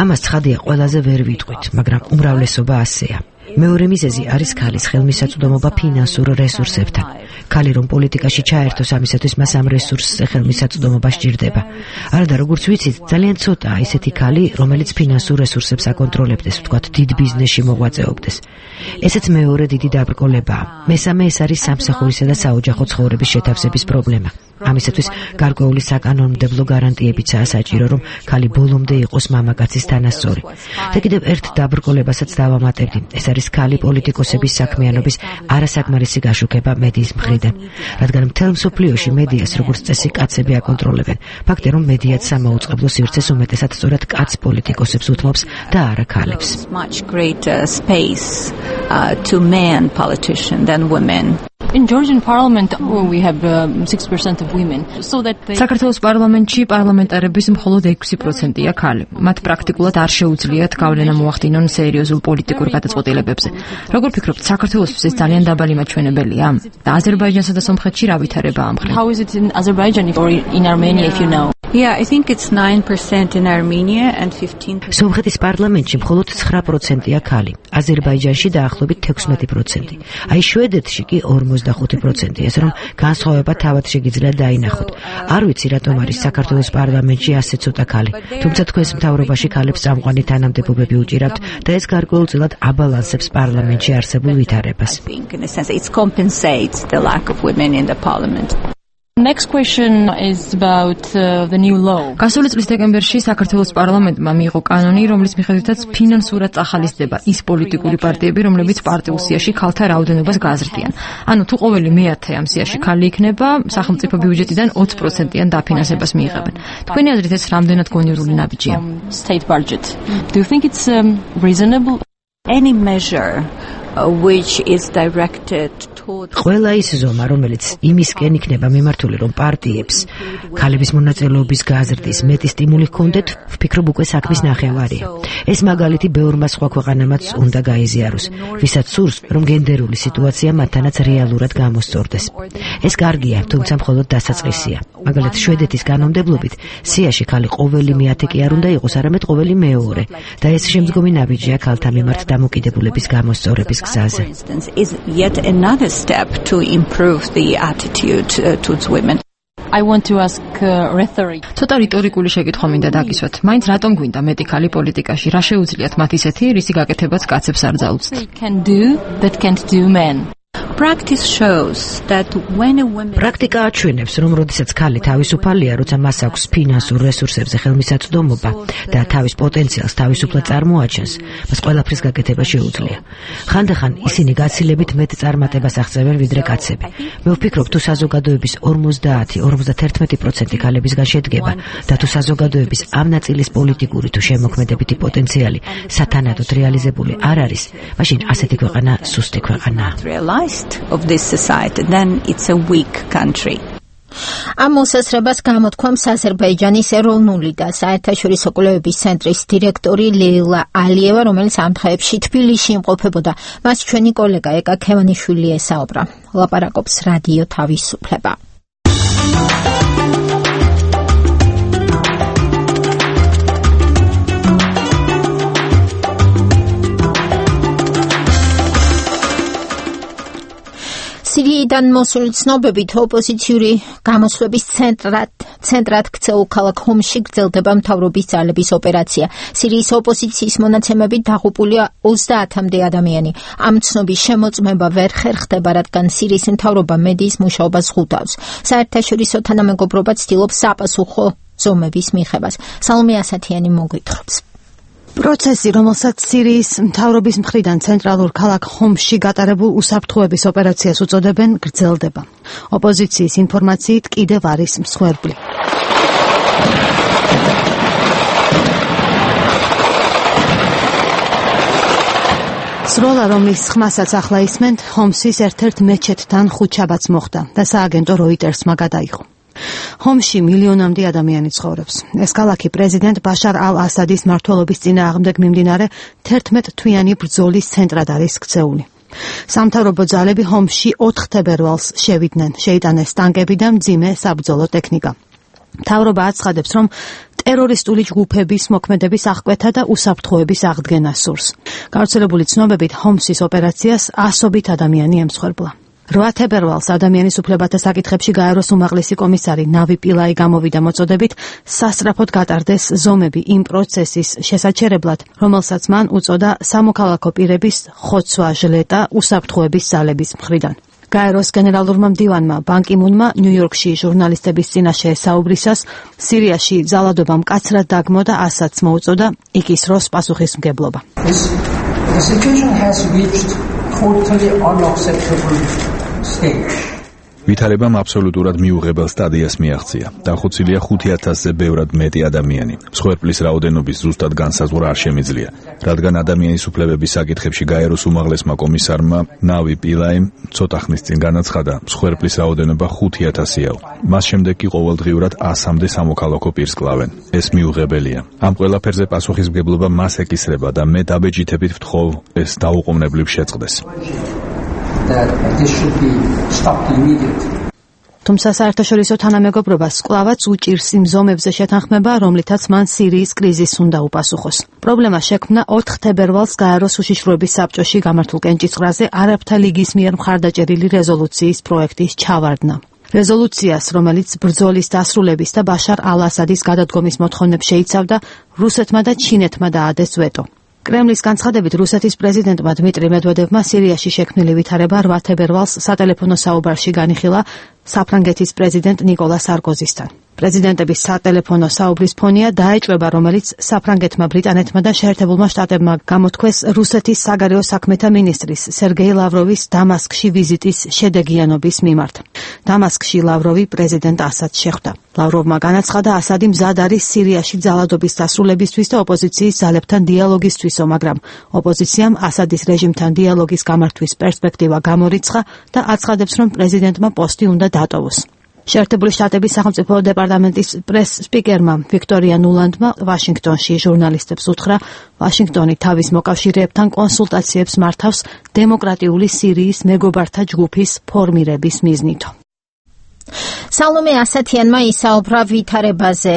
ამას ცხადია ყველაზე ვერ ვიტყვით, მაგრამ უმრავლესობა ასეა. მეორე მიზეზი არის ქალის ხელმისაწვდომობა ფინანსურ რესურსებთან. ქალი რომ პოლიტიკაში ჩაერთოს, ამისათვის მას ამ რესურსზე ხელმისაწვდომობა სჭირდება. არადა როგორც ვიცით, ძალიან ცოტაა ისეთი ქალი, რომელიც ფინანსურ რესურსებს აკონტროლებდეს, ვთქვათ, დიდ ბიზნესში მოღვაწეობდეს. ესეც მეორე დიდი დაბრკოლებაა. მესამე ეს არის სამსახურისა და საოჯახო ცხოვრების შეთავსების პრობლემა. ამისათვის გარკვეული საკანონმდებლო გარანტიებიცაა საჭირო, რომ ქალი ბოლომდე იყოს მამაკაცის თანასწორი. და კიდევ ერთ დაბრკოლებასაც დავამატებდი. ეს არის ქალი პოლიტიკოსების საქმიანობის არასაკმარისი გაშუქება მედიის მხრიდან, რადგან მთელ მსოფლიოში მედიას როგორც წესი კაცები აკონტროლებენ. ფაქტია, რომ მედიაც სამაუწყებლო სივრცეს უმეტესად სწორად კაც პოლიტიკოსებს უთმობს და არა ქალებს. To men politicians than women. In Georgian parliament we have 6% of women, so that საქართველოს პარლამენტში პარლამენტარების მხოლოდ 6%-ია ქალი. მათ პრაქტიკულად არ შეუძლიათ გავლენა მოახდინონ სერიოზულ პოლიტიკურ გადაწყვეტილებებზე. როგორ ფიქრობთ, საქართველოსთვის ეს ძალიან დაბალი მაჩვენებელია? და აზერბაიჯანსა და სომხეთში რა ვითარებაა ამ მხრივ? How is it in Azerbaijan or in Armenia if you know? Yeah, I think it's 9% in Armenia and 15%. სომხეთის პარლამენტში მხოლოდ 9%-ია ქალი. აზერბაიჯანში დაახლოებით 16%. აი შვედეთში კი 45%, ეს რომ განსხვავება თავად შეგიძლიათ დაინახოთ. არ ვიცი რატომ არის საქართველოს პარლამენტში ასე ცოტა ქალი. თუმცა თქვენს მთავრობაში ქალებს წამყვანი თანამდებობები უჭირავთ და ეს გარკვეულწილად აბალანსებს პარლამენტში არსებულ ვითარებას. In a sense, it compensates the lack of women in the parliament. Next question is about the new law. გასული წლის დეკემბერში საქართველოს პარლამენტმა მიიღო კანონი, რომლის მიხედვითაც ფინანსურად წახალისდება ის პოლიტიკური პარტიები, რომლებიც პარტიულ სიაში ქალთა რაოდენობას გააზრდიან. ანუ თუ ყოველი მეათე ამ სიაში ქალი იქნება, სახელმწიფო ბიუჯეტიდან 20%-იან დაფინანსებას მიიღებენ. თქვენი აზრით ეს რამდენად გონივრული ნაბიჯია? State budget. Do you think it's reasonable? Any measure which is directed ყველა ის ზომა, რომელიც იმისკენ იქნება მიმართული, რომ პარტიებს ქალების მონაწილეობის გაზრდის მეტი სტიმული ჰქონდეთ, ვფიქრობ უკვე საქმის ნახევარია. ეს მაგალითი ბევრმა სხვა ქვეყანამაც უნდა გაიზიაროს, ვისაც სურს, რომ გენდერული სიტუაცია მათთანაც რეალურად გამოსწორდეს. ეს კარგია, თუმცა მხოლოდ დასაწყისია. მაგალითად, შვედეთის კანონმდებლობით სიაში ქალი ყოველი მეათე კი არ უნდა იყოს, arამედ ყოველი მეორე და ეს შემდგომი ნაბიჯია ქალთა მიმართ დამოკიდებულების გამოსწორების გზაზე. I want to ask rhetoric. ცოტა რიტორიკული შეკითხვა მინდა დაგისვათ. მაინც რატომ გვინდა მეტი ქალი პოლიტიკაში? რა შეუძლიათ მათ ისეთი, რისი გაკეთებაც კაცებს არ ძალუძთ? They can do but can't do men. Practice shows that when a woman პრაქტიკა აჩვენებს, რომ როდესაც ქალი თავისუფალია, როცა მას აქვს ფინანსურ რესურსებზე ხელმისაწვდომობა და თავის პოტენციალს თავისუფლად წარმოაჩენს, მას ყველაფრის გაკეთება შეუძლია. ხანდახან ისინი გაცილებით მეტ წარმატებას აღწევენ ვიდრე კაცები. მე ვფიქრობ, თუ საზოგადოების 50-51% ქალებისგან შედგება და თუ საზოგადოების ამ ნაწილის პოლიტიკური თუ შემოქმედებითი პოტენციალი სათანადოდ რეალიზებული არ არის, მაშინ ასეთი ქვეყანა სუსტი ქვეყანაა. of this society, then it's a weak country. ამ მოსაზრებას გამოთქვამს აზერბაიჯანის ეროვნული და საერთაშორისო კვლევების ცენტრის დირექტორი ლეილა ალიევა, რომელიც ამ დღეებში თბილისში იმყოფებოდა. მას ჩვენი კოლეგა ეკა ქევანიშვილი ესაუბრა. ლაპარაკობს რადიო თავისუფლება. სირიიდან მოსული ცნობებით ოპოზიციური გამოსვლების ცენტრად ქცეულ ქალაქ ჰომსში გრძელდება მთავრობის ძალების ოპერაცია. სირიის ოპოზიციის მონაცემებით დაღუპულია 30-მდე ადამიანი. ამ ცნობის შემოწმება ვერ ხერხდება, რადგან სირიის მთავრობა მედიის მუშაობას ღუდავს. საერთაშორისო თანამეგობრობა ცდილობს საპასუხო ზომების მიღებას. სალომე ასათიანი მოგვითხრობს. პროცესი, რომელსაც სირიის მთავრობის მხრიდან ცენტრალურ ქალაქ ჰომსში გატარებულ უსაფრთხოების ოპერაციას უწოდებენ, გრძელდება. ოპოზიციის ინფორმაციით კიდევ არის მსხვერპლი. სროლა, რომლის ხმასაც ახლა ისმენთ, ჰომსის ერთ-ერთ მეჩეთთან ხუთშაბათს მოხდა და სააგენტო როიტერსმა გადაიღო. ჰომსში მილიონამდე ადამიანი ცხოვრობს. ეს ქალაქი პრეზიდენტ ბაშარ ალ-ასადის მმართველობის წინააღმდეგ მიმდინარე 11 თვიანი ბრძოლის ცენტრად არის ქცეული. სამთავრობო ძალები ჰომსში 4 თებერვალს შევიდნენ. შეიტანეს ტანკები და მძიმე საბრძოლო ტექნიკა. მთავრობა აცხადებს, რომ ტერორისტული ჯგუფების მოქმედების აღკვეთა და უსაფრთხოების აღდგენა სურს. გავრცელებული ცნობებით ჰომსის ოპერაციას ასობით ადამიანი ემსხვერპლა. 8 თებერვალს ადამიანის უფლებათა საკითხებში გაეროს უმაღლესი კომისარი ნავი პილაი გამოვიდა მოწოდებით სასწრაფოდ გატარდეს ზომები იმ პროცესის შესაჩერებლად, რომელსაც მან უწოდა სამოქალაქო პირების ხოცვა ჟლეტა უსაფრთხოების ძალების მხრიდან. გაეროს გენერალურმა მდივანმა ბან კი მუნმა ნიუ-იორკში ჟურნალისტების წინაშე საუბრისას სირიაში ძალადობა მკაცრად დაგმო და ასაც მოუწოდა იკისროს პასუხისმგებლობა. The situation has reached totally unacceptable stage. ვითარებამ აბსოლუტურად მიუღებელ სტადიას მიაღწია. დახუცილია 5000-ზე ბევრად მეტი ადამიანი. მსხვერპლის რაოდენობის ზუსტად განსაზღვრა არ შემიძლია, რადგან ადამიანის უფლებების საკითხებში გაეროს უმაღლესმა კომისარმა ნავი პილაიმ ცოტა ხნის წინ განაცხადა, მსხვერპლის რაოდენობა 5000-იაო. მას შემდეგ კი ყოველდღიურად 100-მდე სამოქალაქო პირს კლავენ. ეს მიუღებელია. ამ ყველაფერზე პასუხისმგებლობა მას ეკისრება და მე დაბეჭითებით ვთხოვ, ეს დაუყოვნებლივ შეწყდეს. That this should be stopped immediately. თუმცა საერთაშორისო თანამეგობრობას კვლავაც უჭირს იმ ზომებზე შეთანხმება, რომლითაც მან სირიის კრიზისს უნდა უპასუხოს. პრობლემა შექმნა 4 თებერვალს გაეროს უშიშროების საბჭოში გამართულ კენჭისყრაზე არაბთა ლიგის მიერ მხარდაჭერილი რეზოლუციის პროექტის ჩავარდნა. რეზოლუციას, რომელიც ბრძოლის დასრულების და ბაშარ ალ-ასადის გადადგომის მოთხოვნებს შეიცავდა, რუსეთმა და ჩინეთმა დაადეს ვეტო. კრემლის განცხადებით რუსეთის პრეზიდენტმა დმიტრი მედვედევმა სირიაში შექმნილი ვითარება 8 თებერვალს სატელეფონო საუბარში განიხილა საფრანგეთის პრეზიდენტ ნიკოლა სარკოზისთან. პრეზიდენტების სატელეფონო საუბრის ფონია დაეჭვება, რომელიც საფრანგეთმა, ბრიტანეთმა და შეერთებულმა შტატებმა გამოთქვეს რუსეთის საგარეო საქმეთა მინისტრის სერგეი ლავროვის დამასკში ვიზიტის შედეგიანობის მიმართ. დამასკში ლავროვი პრეზიდენტ ასადს შეხვდა. ლავროვმა განაცხადა, ასადი მზად არის სირიაში ძალადობის დასრულებისთვის და ოპოზიციის ძალებთან დიალოგისთვისო, მაგრამ ოპოზიციამ ასადის რეჟიმთან დიალოგის გამართვის პერსპექტივა გამორიცხა და აცხადებს, რომ პრეზიდენტმა პოსტი უნდა დატოვოს. შეერთებული შტატების სახელმწიფო დეპარტამენტის პრეს-სპიკერმა ვიქტორია ნულანდმა ვაშინგტონში ჟურნალისტებს უთხრა, ვაშინგტონი თავის მოკავშირეებთან კონსულტაციებს მართავს დემოკრატიული სირიის მეგობართა ჯგუფის ფორმირების მიზნით. სალომე ასათიანმა ისაუბრა ვითარებაზე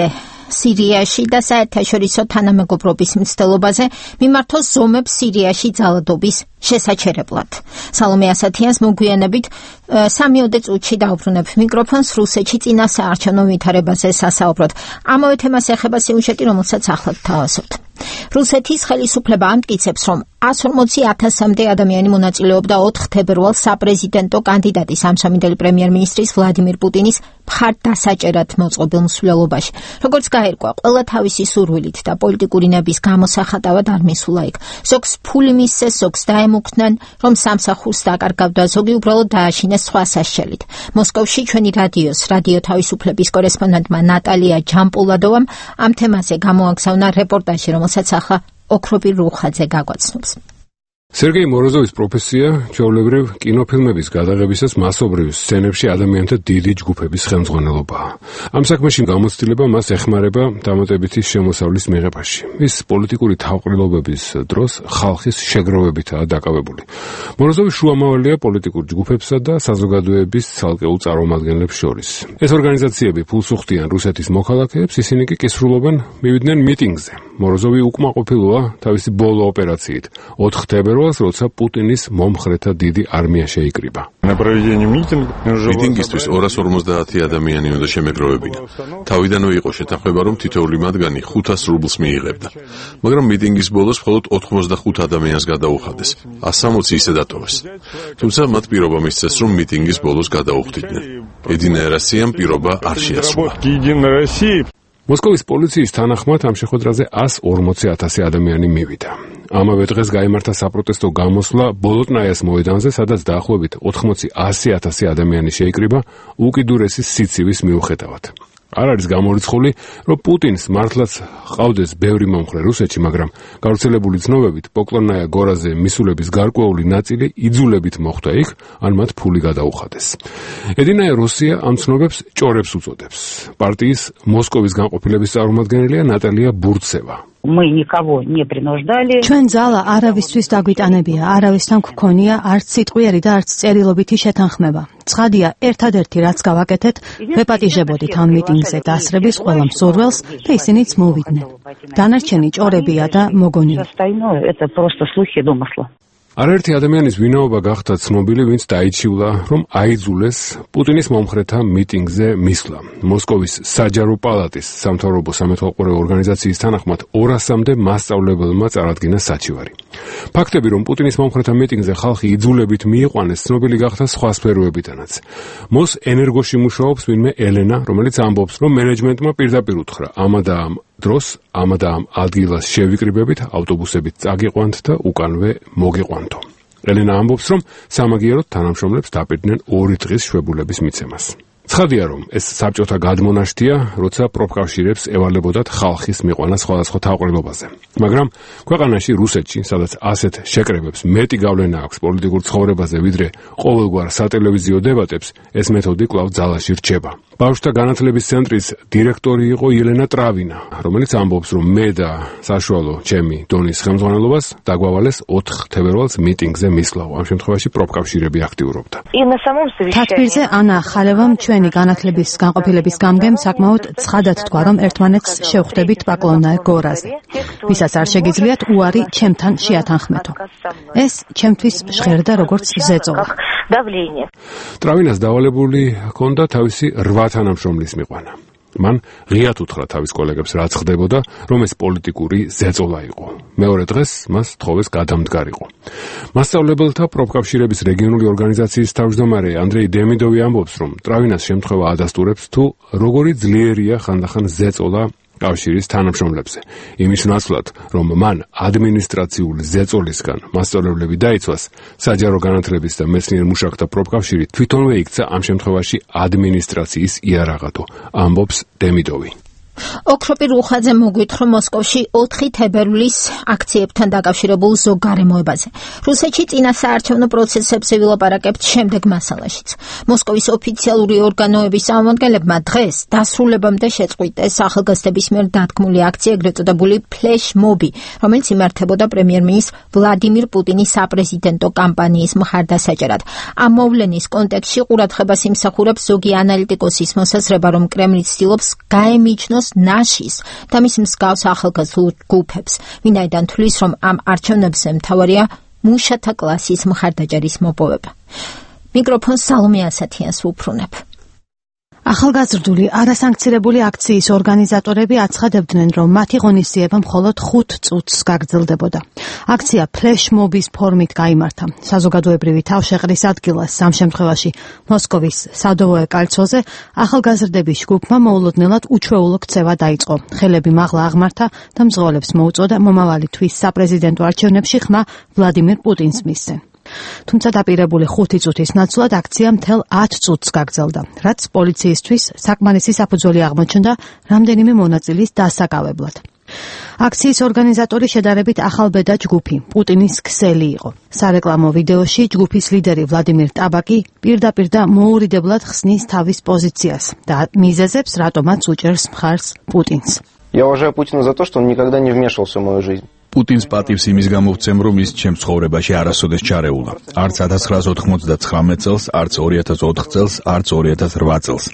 სირიაში და საერთაშორისო თანამეგობრობის მცდელობაზე მიმართოს ზომებს სირიაში ძალადობის შესაჩერებლად. სალომე ასათიანს მოგვიანებით 3 წუთში დაუბრუნებ მიკროფონს რუსეთში წინა საარჩევნო ვითარებაზე სასაუბროდ. ამავე თემას ეხება სიუჟეტი, რომელსაც ახლად თავაზობთ. რუსეთის ხელისუფლება ამტკიცებს, რომ 140,000-მდე ადამიანი მონაწილეობდა 4 თებერვალს საპრეზიდენტო კანდიდატის ამსამინდელი პრემიერ-მინისტრის ვლადიმირ პუტინის მხარდასაჭერად მოწყობილ მსვლელობაში. როგორც გაირკვა, ყველა თავისი სურვილით და პოლიტიკური ნების გამოსახატავად არ მისულა იქ. ზოგს ფული მისცეს, ზოგს დაემუქრნენ, რომ სამსახურს დაკარგავდა, ზოგი უბრალოდ დააშინეს სხვა სასჯელით. მოსკოვში ჩვენი რადიო თავისუფლების კორესპონდენტმა ნატალია ჯამპულადოვამ ამ თემაზე გამოაგზავნა რეპორტაჟი, რომელსაც ახლა ოქროპირ რუხაძე გაგვაცნობს. სერგეი მოროზოვის პროფესია ჩვეულებრივ კინოფილმების გადაღებისას მასობრივ სცენებში ადამიანთა დიდი ჯგუფების ხელმძღვანელობაა. ამ საქმეში გამოცდილება მას ეხმარება დამატებითი შემოსავლის მიღებაში. ის პოლიტიკური თავყრილობების დროს ხალხის შეგროვებითაა დაკავებული. მოროზოვი შუამავალია პოლიტიკურ ჯგუფებსა და საზოგადოების ცალკეულ წარმომადგენლებს შორის. ეს ორგანიზაციები ფულს უხდიან რუსეთის მოქალაქეებს, ისინი კი კისრულობენ მივიდნენ მიტინგზე. მოროზოვი უკმაყოფილოა თავისი ბოლო ოპერაციით 4 თებერვალს, როცა პუტინის მომხრეთა დიდი არმია შეიკრიბა. მიტინგისთვის 250 ადამიანი უნდა შემეგროვებინა. თავიდანვე იყო შეთანხმება, რომ თითოეული მათგანი 500 რუბლს მიიღებდა. მაგრამ მიტინგის ბოლოს მხოლოდ 85 ადამიანს გადაუხადეს. 160 ისე დატოვეს. თუმცა მათ პირობა მისცეს, რომ მიტინგის ბოლოს გადაუხდიდნენ. ედინა ერასიამ პირობა არ შეასრულა. მოსკოვის პოლიციის თანახმად ამ შეხვედრაზე 140,000 ადამიანი მივიდა. ამავე დღეს გაიმართა საპროტესტო გამოსვლა ბოლოტნაიას მოედანზე, სადაც დაახლოებით 80,000 ადამიანი შეიკრიბა უკიდურესი სიცივის მიუხედავად. არ არის გამორიცხული, რომ პუტინს მართლაც ყავდეს ბევრი მომხრე რუსეთში, მაგრამ გავრცელებული ცნობებით პოკლონნაია გორაზე მისულების გარკვეული ნაწილი იძულებით მოხვდა იქ, ან მათ ფული გადაუხადეს. ედინა რუსია ამ ცნობებს ჭორებს უწოდებს. პარტიის მოსკოვის განყოფილების წარმომადგენელია ნატალია ბურცევა. ჩვენ ძალა არავისთვის დაგვიტანებია, არავისთან გქონია არც სიტყვიერი და არც წერილობითი შეთანხმება. ცხადია, ერთადერთი რაც გავაკეთეთ, ვეპატიჟებოდით ამ მიტინგზე დასრების ყველა მსურველს და ისინიც მოვიდნენ. დანარჩენი ჭორებია და მოგონილი. არაერთი ადამიანის ვინაობა გახდა ცნობილი, ვინც დაიჩივლა, რომ აიძულეს პუტინის მომხრეთა მიტინგზე მისვლა. მოსკოვის საჯარო პალატის სამთავრობო სამეთვალყურე ორგანიზაციის თანახმად 200-მდე მასწავლებელმა წარადგინა საჩივარი. ფაქტები, რომ პუტინის მომხრეთა მიტინგზე ხალხი იძულებით მიიყვანეს, ცნობილი გახდა სხვა სფეროებიდანაც. მოს ენერგოში მუშაობს ვინმე ელენა, რომელიც ამბობს, რომ მენეჯმენტმა პირდაპირ უთხრა ამადა ამ დროს ამადა ამ ადგილას შევიკრიბებით, ავტობუსებით წაგიყვანთ და უკანვე მოგიყვანთო. ელენა ამბობს, რომ სამაგიეროდ თანამშრომლებს დაპირდნენ 2 დღის შვებულების მიცემას. ცხადია, რომ ეს საბჭოთა გადმონაშთია, როცა პროფკავშირებს ევალებოდათ ხალხის მიყვანა სხვადასხვა თავყრილობაზე. მაგრამ ქვეყანაში რუსეთში, სადაც ასეთ შეკრებებს მეტი გავლენა აქვს პოლიტიკურ ცხოვრებაზე, ვიდრე ყოველგვარ სატელევიზიო დებატებს, ეს მეთოდი კვლავ ძალაში რჩება. ბავშვთა განათლების ცენტრის დირექტორი იყო ელენა ტრավინა, რომელიც ამბობს, რომ მე და საშუალო ჩემი დონის ხელმძღვანელობას დაგვავალეს 4 თებერვალს მიტინგზე მისვლა. ამ შემთხვევაში პროფკავშირები აქტიურობდა. თათბირზე ანა ხალევამ ჩვენი განათლების განყოფილების გამგემ საკმაოდ ცხადად თქვა, რომ ერთმანეთს შევხვდებით პოკლონნაია გორაზე. ვისაც არ შეგიძლიათ უარი ჩემთან შეათანხმეთო. ეს ჩემთვის ჟღერდა როგორც ზეწოლა. ტრավინას დავალებული ჰქონდა თავისი 8 თანამშრომლის მიყვანა. მან ღიად უთხრა თავის კოლეგებს რაც ხდებოდა, რომ ეს პოლიტიკური ზეწოლა იყო. მეორე დღეს მას თხოვეს გადამდგარიყო. მასწავლებელთა პროფკავშირების რეგიონული ორგანიზაციის თავმჯდომარე ანდრეი დემიდოვი ამბობს, რომ ტრავინას შემთხვევა ადასტურებს თუ როგორი ძლიერია ხანდახან ზეწოლა კავშირის თანამშრომლებზე. იმის ნაცვლად, რომ მან ადმინისტრაციული ზეწოლისგან მასწავლებლები დაიცვას, საჯარო განათლების და მეცნიერ მუშაკთა პროფკავშირი თვითონვე იქცა ამ შემთხვევაში ადმინისტრაციის იარაღადო, ამბობს დემიდოვი. ოქროპირ უხაძე მოგვითხრა მოსკოვში 4 თებერვლის აქციებთან დაკავშირებულ ზოგ გარემოებაზე. რუსეთში წინა საარჩევნო პროცესებზე ვილაპარაკებთ შემდეგ მასალაშიც. მოსკოვის ოფიციალური ორგანოების წარმომადგენლებმა დღეს დასრულებამდე შეწყვიტეს ახალგაზრდების მიერ დადგმული აქცია, ეგრეთ წოდებული ფლეშ-მობი, რომელიც იმართებოდა პრემიერ-მინისტრ ვლადიმირ პუტინის საპრეზიდენტო კამპანიის მხარდასაჭერად. ამ მოვლენის კონტექსტში ყურადღებას იმსახურებს ზოგი ანალიტიკოსის მოსაზრება, რომ კრემლი ცდილობს გაემიჯნოს ნაშის და მის მსგავს ახალგაზრდულ ჯგუფებს, ვინაიდან თვლის, რომ ამ არჩევნებზე მთავარია მუშათა კლასის მხარდაჭერის მოპოვება. მიკროფონს სალომე ასათიანს ვუფრუნებ. ახალგაზრდული არასანქცირებული აქციის ორგანიზატორები აცხადებდნენ, რომ მათი ღონისძიება მხოლოდ 5 წუთს გაგრძელდებოდა. აქცია ფლეშ-მობის ფორმით გაიმართა. საზოგადოებრივი თავშეყრის ადგილას ამ შემთხვევაში მოსკოვის სადოვოე კალცოზე ახალგაზრდების ჯგუფმა მოულოდნელად უჩვეულო ქცევა დაიწყო. ხელები მაღლა აღმართა და მძღოლებს მოუწოდა მომავალი თვის საპრეზიდენტო არჩევნებში ხმა ვლადიმირ პუტინს მისცენ. თუმცა დაპირებული 5 წუთის ნაცვლად აქცია მთელ 10 წუთს გაგრძელდა, რაც პოლიციისთვის საკმარისი საფუძველი აღმოჩნდა რამდენიმე მონაწილის დასაკავებლად. აქციის ორგანიზატორი შედარებით ახალბედა ჯგუფი, პუტინის ქსელი იყო. სარეკლამო ვიდეოში ჯგუფის ლიდერი ვლადიმირ ტაბაკი პირდაპირ და მოურიდებლად ხსნის თავის პოზიციას და მიზეზებს, რატომაც უჭერს მხარს პუტინს. Я уважаю Путина за то, что он никогда не вмешивался в мою жизнь. პუტინს პატივს იმის გამო ვცემ, რომ ის ჩემს ცხოვრებაში არასოდეს ჩარეულა. არც 1999 წელს, არც 2004 წელს, არც 2008 წელს.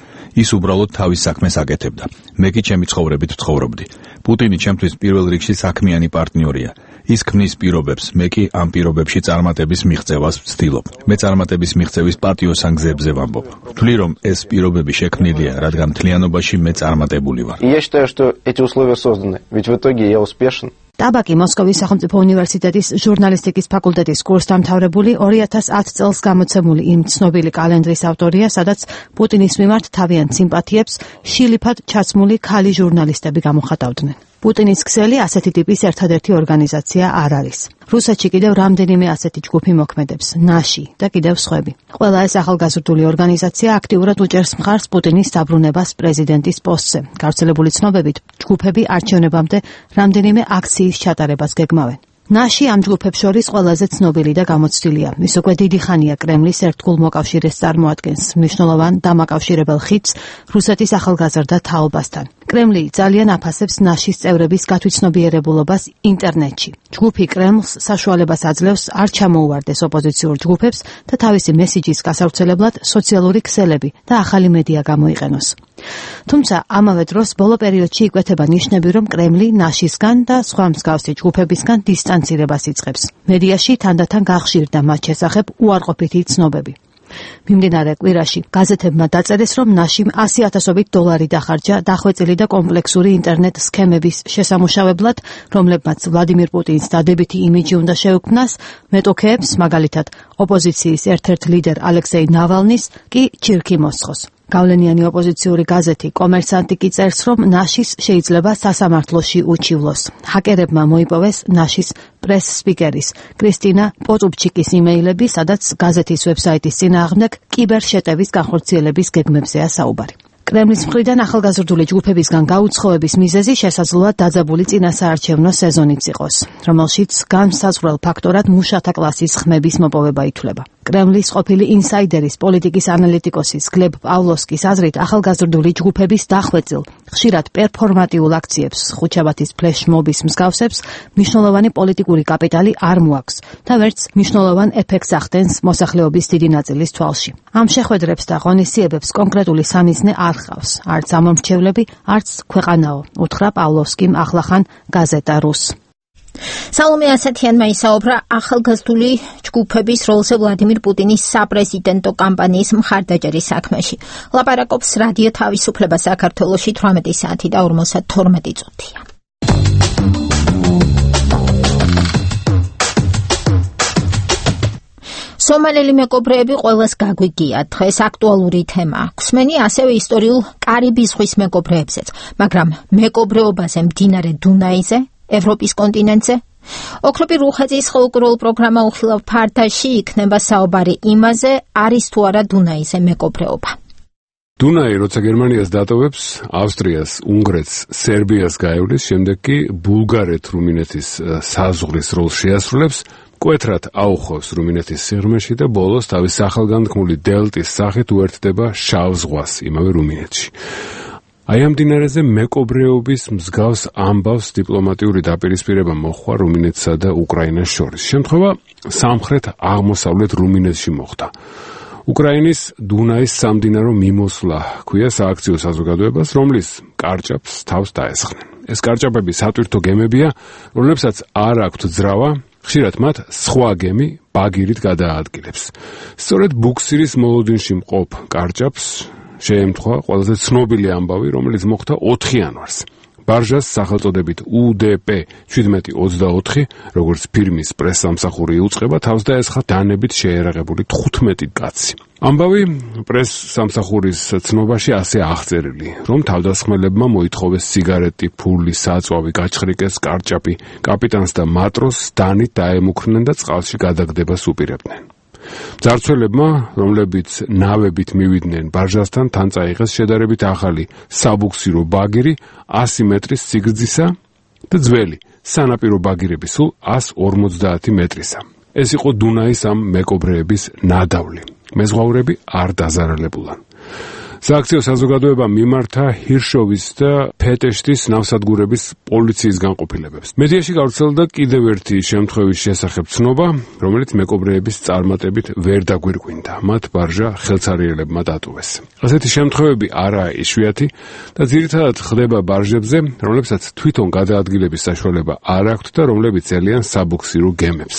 ის უბრალოდ თავის საქმეს აკეთებდა. მე კი ჩემი ცხოვრებით ვცხოვრობდი. პუტინი ჩემთვის პირველ რიგში საქმიანი პარტნიორია. ის ქმნის პირობებს, მე კი ამ პირობებში წარმატების მიღწევას ვცდილობ. მე წარმატების მიღწევის პატიოსან გზებზე ვამბობ. ვთვლი, რომ ეს პირობები შექმნილია, რადგან მთლიანობაში მე წარმატებული ვარ. Я считаю, что эти условия созданы, ведь в итоге я успешен. ტაბაკი მოსკოვის სახელმწიფო უნივერსიტეტის ჟურნალისტიკის ფაკულტეტის კურსდამთავრებული 2010 წელს გამოცემული იმ ცნობილი კალენდრის ავტორია, სადაც პუტინის მიმართ თავიანთ სიმპათიებს შილიფად ჩაცმული ქალი ჟურნალისტები გამოხატავდნენ. პუტინის ქსელი ასეთი ტიპის ერთადერთი ორგანიზაცია არ არის. რუსეთში კიდევ რამდენიმე ასეთი ჯგუფი მოქმედებს, ნაში და კიდევ სხვები. ყველა ეს ახალგაზრდული ორგანიზაცია აქტიურად უჭერს მხარს პუტინის დაბრუნებას პრეზიდენტის პოსტზე. გავრცელებული ცნობებით, ჯგუფები არჩევნებამდე რამდენიმე აქციის ჩატარებას გეგმავენ. ნაში ამ ჯგუფებს შორის ყველაზე ცნობილი და გამოცდილია. ის უკვე დიდი ხანია კრემლის ერთგულ მოკავშირეს წარმოადგენს, მნიშვნელოვან დამაკავშირებელ ხიდს რუსეთის ახალგაზრდა თაობასთან. კრემლი ძალიან აფასებს ნაშის წევრების გათვითცნობიერებულობას ინტერნეტში. ჯგუფი კრემლს საშუალებას აძლევს არ ჩამოუვარდეს ოპოზიციურ ჯგუფებს და თავისი მესიჯის გასავრცელებლად სოციალური ქსელები და ახალი მედია გამოიყენოს. თუმცა ამავე დროს ბოლო პერიოდში იკვეთება ნიშნები, რომ კრემლი ნაშისგან და სხვა მსგავსი ჯგუფებისგან დისტანცირებას იწყებს. მედიაში თანდათან გახშირდა მათ შესახებ უარყოფითი ცნობები. მიმდინარე კვირაში გაზეთებმა დაწერეს, რომ ნაშიმ $100,000 დახარჯა დახვეწილი და კომპლექსური ინტერნეტ სქემების შესამუშავებლად, რომლებმაც ვლადიმირ პუტინს დადებითი იმიჯი უნდა შეუქმნას, მეტოქეებს, მაგალითად, ოპოზიციის ერთ-ერთ ლიდერ ალექსეი ნავალნის კი ჩირქი მოსხოს. გავლენიანი ოპოზიციური გაზეთი კომერსანტი კი წერს, რომ ნაშის შეიძლება სასამართლოში უჩივლოს. ჰაკერებმა მოიპოვეს ნაშის პრეს-სპიკერის კრისტინა პოტუბჩიკის იმეილები, სადაც გაზეთის ვებსაიტის წინააღმდეგ კიბერშეტევის განხორციელების გეგმებზეა საუბარი. კრემლის მხრიდან ახალგაზრდული ჯგუფებისგან გაუცხოების მიზეზი შესაძლოა დაძაბული წინასაარჩევნო სეზონიც იყოს, რომელშიც განსაზღვრელ ფაქტორად მუშათა კლასის ხმების მოპოვება ითვლება. კრემლის ყოფილი ინსაიდერის პოლიტიკის ანალიტიკოსის გლებ პავლოვსკის აზრით, ახალგაზრდული ჯგუფების დახვეწილ, ხშირად პერფორმატიულ აქციებს, ხუთშაბათის ფლეშ-მობის მსგავსებს, მნიშვნელოვანი პოლიტიკური კაპიტალი არ მოაქვს და ვერც მნიშვნელოვან ეფექტს ახდენს მოსახლეობის დიდი ნაწილის თვალში. ამ შეხვედრებს და ღონისძიებებს კონკრეტული სამიზნე არ ხავს, არც ამომრჩევლები, არც ქვეყანაო, უთხრა პავლოვსკიმ ახლახან გაზეტა რუს. სალომე ასათიანმა ისაუბრა ახალგაზრდული ჯგუფების როლზე ვლადიმირ პუტინის საპრეზიდენტო კამპანიის მხარდაჭერის საქმეში. ლაპარაკობს რადიო თავისუფლება საქართველოში 18 საათი და 52 წუთია. სომალელი მეკობრეები ყველას გაგვიგია, დღეს აქტუალური თემა. გვსმენი ასევე ისტორიულ კარიბის ზღვის მეკობრეებზეც, მაგრამ მეკობრეობაზე მდინარე დუნაიზე, ევროპის კონტინენტზე? ოქროპი რუხაძის ხალხურ პროგრამა უხილავ ფარდაში იქნება საუბარი იმაზე, არის თუ არა დუნაიზე მეკობრეობა. დუნაი, როცა გერმანიას დატოვებს, ავსტრიას, უნგრეთს, სერბიას გაევლის, შემდეგ კი ბულგარეთ-რუმინეთის საზღვრის როლს შეასრულებს, კვეთრად აუხოვს რუმინეთის სიღრმეში და ბოლოს თავის სახელგანთქმული დელტის სახით უერთდება შავ ზღვას, იმავე რუმინეთში. აი ამ მდინარეზე მეკობრეობის მსგავს ამბავს დიპლომატიური დაპირისპირება მოხდა რუმინეთსა და უკრაინას შორის. შემთხვევა სამხრეთ აღმოსავლეთ რუმინეთში მოხდა. უკრაინის დუნაის სამდინარო მიმოსვლა ჰქვია სააქციო საზოგადოებას, რომლის კარჭაპს თავს დაესხნენ. ეს კარჭაპები სატვირთო გემებია, რომლებსაც არ აქვთ ძრავა, ხშირად მათ სხვა გემი ბაგირით გადააადგილებს. სწორედ ბუქსირის მოლოდინში მყოფ კარჭაპს შეემთხვა ყველაზე ცნობილი ამბავი, რომელიც მოხდა 4 იანვარს. ბარჟას სახელწოდებით UDP-1724, როგორც ფირმის პრესსამსახური იუწყება, თავს დაესხა დანებით შეერაღებული 15 კაცი. ამბავი პრესსამსახურის ცნობაში ასე აღწერილი, რომ თავდასხმელებმა მოითხოვეს სიგარეტი, ფული, საწვავი, გაჩხრიკეს კარჭაპი, კაპიტანს და მატროსს დანით დაემუქრნენ და წყალში გადაგდებას უპირებდნენ. ძარცველებმა, რომლებიც ნავებით მივიდნენ ბარჟასთან, თან წაიღეს შედარებით ახალი საბუქსირო ბაგირი 100 მეტრის სიგრძისა და ძველი სანაპირო ბაგირები სულ 150 მეტრისა. ეს იყო დუნაის ამ მეკობრეების ნადავლი. მეზღვაურები არ დაზარალებულან. სააქციო საზოგადოება მიმართა ჰირშოვის და ფეტეშტის ნავსადგურების პოლიციის განყოფილებებს. მედიაში გავრცელდა კიდევ ერთი შემთხვევის შესახებ ცნობა, რომელიც მეკობრეების წარმატებით ვერ დაგვირგვინდა. მათ ბარჟა ხელცარიელებმა დატოვეს. ასეთი შემთხვევები არაა იშვიათი და ძირითადად ხდება ბარჟებზე, რომლებსაც თვითონ გადაადგილების საშუალება არ აქვთ და რომლებიც ელიან საბუქსირო გემებს.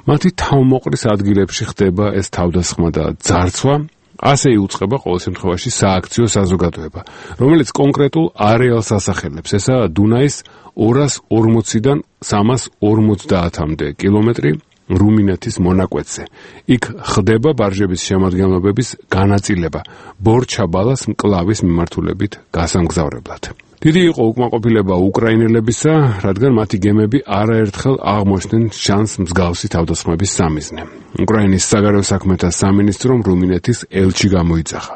მათი თავმოყრის ადგილებში ხდება ეს თავდასხმა და ძარცვა. ასე იუწყება ყოველ შემთხვევაში სააქციო საზოგადოება, რომელიც კონკრეტულ არეალს ასახელებს. ესაა დუნაის 240-დან 350-მდე კილომეტრი რუმინეთის მონაკვეთზე. იქ ხდება ბარჟების შემადგენლობების განაწილება ბორჩაბალას მკლავის მიმართულებით გასამგზავრებლად. დიდი იყო უკმაყოფილება უკრაინელებისა, რადგან მათი გემები არაერთხელ აღმოჩნდნენ შანს მსგავსი თავდასხმების სამიზნე. უკრაინის საგარეო საქმეთა სამინისტრომ რუმინეთის ელჩი გამოიძახა.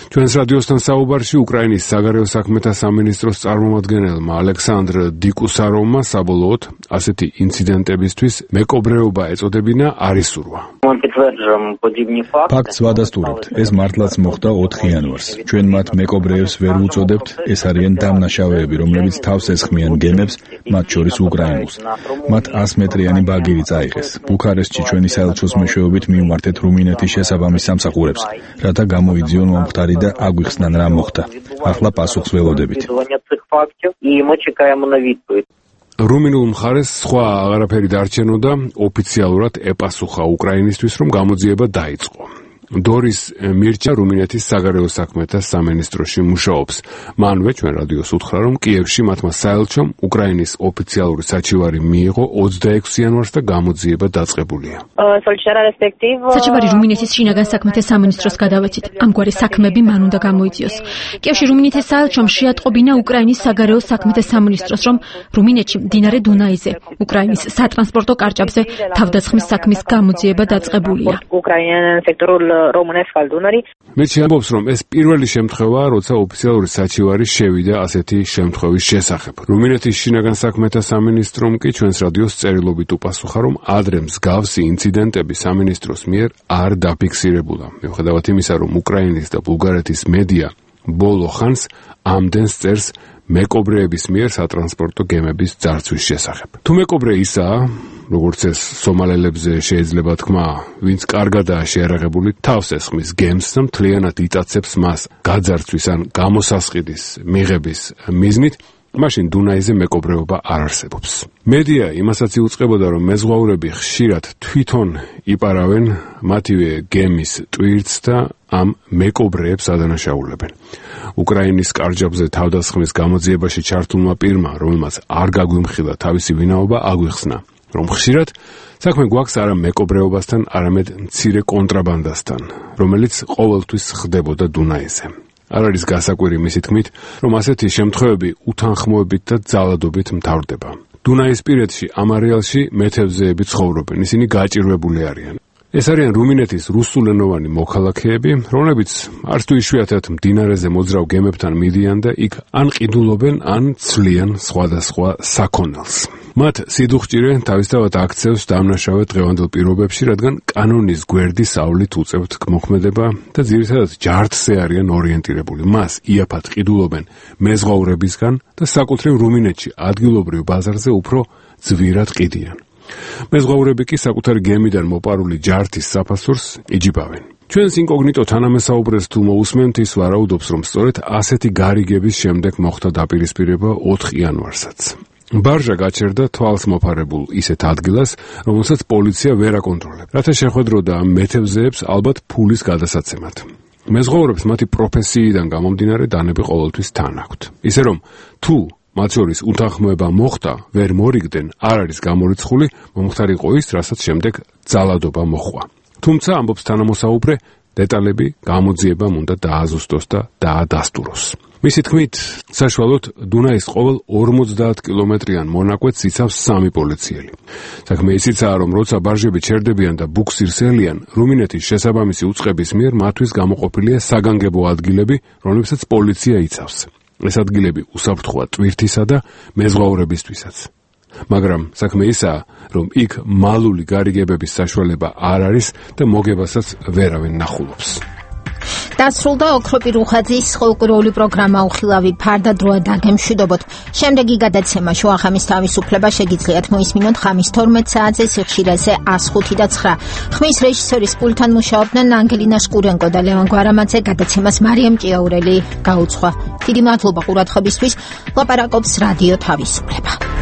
ჩვენს რადიოსთან საუბარში უკრაინის საგარეო საქმეთა სამინისტროს წარმომადგენელმა ალექსანდრ დიკუსაროვმა საბოლოოდ ასეთი ინციდენტებისთვის მეკობრეობა ეწოდებინა არ ისურვა. ფაქტს ვადასტურებთ, ეს მართლაც მოხდა 4 იანვარს. ჩვენ მათ მეკობრეებს ვერ უწოდებთ, ეს არიან დამნაშავეები, რომლებიც თავს ესხმიან გემებს, მათ შორის უკრაინულს. მათ 100 მეტრიანი ბაგირი წაიღეს. ბუქარესტში ჩვენი საელჩოს მეშვეობით მივმართეთ რუმინეთის შესაბამის სამსახურებს, რათა გამოიძიონ მომხდარი და აგვიხსნან რა მოხდა. ახლა პასუხს ველოდებით. რუმინულ მხარეს სხვა აღარაფერი დარჩენოდა, ოფიციალურად ეპასუხა უკრაინისთვის, რომ გამოძიება დაიწყო. დორის მირჩა რუმინეთის საგარეო საქმეთა სამინისტროში მუშაობს. მანვე ჩვენ რადიოს უთხრა, რომ კიევში მათმა საელჩომ უკრაინის ოფიციალური საჩივარი მიიღო 26 იანვარს და გამოძიება დაწყებულია. საჩივარი რუმინეთის შინაგან საქმეთა სამინისტროს გადავეცით. ამგვარი საქმეები მან უნდა გამოიძიოს. კიევში რუმინეთის საელჩომ შეატყობინა უკრაინის საგარეო საქმეთა სამინისტროს, რომ რუმინეთში მდინარე დუნაიზე, უკრაინის სატრანსპორტო კარჭაპზე თავდასხმის საქმის გამოძიება დაწყებულია. მერჩი ამბობს, რომ ეს პირველი შემთხვევაა, როცა ოფიციალური საჩივარი შევიდა ასეთი შემთხვევის შესახებ. რუმინეთის შინაგან საქმეთა სამინისტრომ კი ჩვენს რადიოს წერილობით უპასუხა, რომ ადრე მსგავსი ინციდენტები სამინისტროს მიერ არ დაფიქსირებულა. მიუხედავად იმისა, რომ უკრაინის და ბულგარეთის მედია ბოლო ხანს ამდენს წერს მეკობრეების მიერ სატრანსპორტო გემების ძარცვის შესახებ. თუ მეკობრე ისაა, როგორც ეს სომალელებზე შეიძლება თქვა, ვინც კარგადაა შეერაღებული, თავს ესხმის გემს და მთლიანად იტაცებს მას გაძარცვის ან გამოსასყიდის მიღების მიზნით, მაშინ დუნაიზე მეკობრეობა არ არსებობს. მედია იმასაც იუწყებოდა, რომ მეზღვაურები ხშირად თვითონ იპარავენ მათივე გემის ტვირთს და ამ მეკობრეებს ადანაშაულებენ. უკრაინის კარჯაბზე თავდასხმის გამოძიებაში ჩართულმა პირმა, რომელმაც არ გაგვიმხილა თავისი ვინაობა, აგვიხსნა, რომ ხშირად საქმე გვაქვს არა მეკობრეობასთან, არამედ მცირე კონტრაბანდასთან, რომელიც ყოველთვის ხდებოდა დუნაიზე. არ არის გასაკვირი მისი თქმით, რომ ასეთი შემთხვევები უთანხმოებით და ძალადობით მთავრდება. დუნაისპირეთში ამ არეალში მეთევზეები ცხოვრობენ, ისინი გაჭირვებული არიან. ეს არიან რუმინეთის რუსულენოვანი მოქალაქეები, რომლებიც არც თუ იშვიათად მდინარეზე მოძრავ გემებთან მიდიან და იქ ან ყიდულობენ, ან ცვლიან სხვადასხვა საქონელს. მათ სიდუხჭირე თავისთავად აქცევს დამნაშავე დღევანდელ პირობებში, რადგან კანონის გვერდი საავლით უწევთ მოქმედება და ძირითადად ჯართზე არიან ორიენტირებული. მას იაფად ყიდულობენ მეზღვაურებისგან და საკუთრივ რუმინეთში ადგილობრივ ბაზარზე უფრო ძვირად ყიდიან. მეზღვაურები კი საკუთარი გემიდან მოპარული ჯართის საფასურს იჯიბავენ. ჩვენს ინკოგნიტო თანამესაუბრეს თუ მოусმენთ, ის ვარაუდობს, რომ სწორედ ასეთი გარიგების შემდეგ მოხდა დაპირისპირება 4 იანვარსაც. ბარჟა გაჩერდა თვალს მოფარებულ ისეთ ადგილას, რომელსაც პოლიცია ვერ აკონტროლებს, რათა შეხვედროდა ამ მეთევზეებს ალბათ ფულის გადასაცემად. მეზღვაურებს მათი პროფესიიდან გამომდინარე დანები ყოველთვის თან აქვთ. ისე რომ თუ მათ შორის უთანხმოება მოხდა, ვერ მორიგდნენ, არ არის გამორიცხული, მომხდარი იყო ის, რასაც შემდეგ ძალადობა მოჰყვა. თუმცა ამბობს თანამოსაუბრე, დეტალები გამოძიებამ უნდა დააზუსტოს და დაადასტუროს. მისი თქმით, საშუალოდ დუნაის ყოველ 50 კილომეტრიან მონაკვეთს იცავს 3 პოლიციელი. საქმე ისიცაა, რომ როცა ბარჟები ჩერდებიან და ბუქსირს ელიან, რუმინეთის შესაბამისი უწყების მიერ მათთვის გამოყოფილია საგანგებო ადგილები, რომლებსაც პოლიცია იცავს. ეს ადგილები უსაფრთხოა ტვირთისა და მეზღვაურებისთვისაც. მაგრამ საქმე ისაა, რომ იქ მალული გარიგებების საშუალება არ არის და მოგებასაც ვერავინ ნახულობს. დასრულდა ოქროპი რუხაძის ხალხური პროგრამა უხილავი ფარდადროა დაგემშვიდობოთ. შემდეგი გადაცემა შუახამის თავისუფლება შეგიძლიათ მოისმინოთ ხამის 12 საათზე სიხშირეზე 105 და 9. ხმის რეჟისორის პულტთან მუშაობდნენ ანგელინა შკურენკო და ლევან გვარამაძე. გადაცემას მარიამ ჭიაურელი გაუძღვა. დიდი მადლობა ყურადღებისთვის. ლაპარაკობს რადიო თავისუფლება.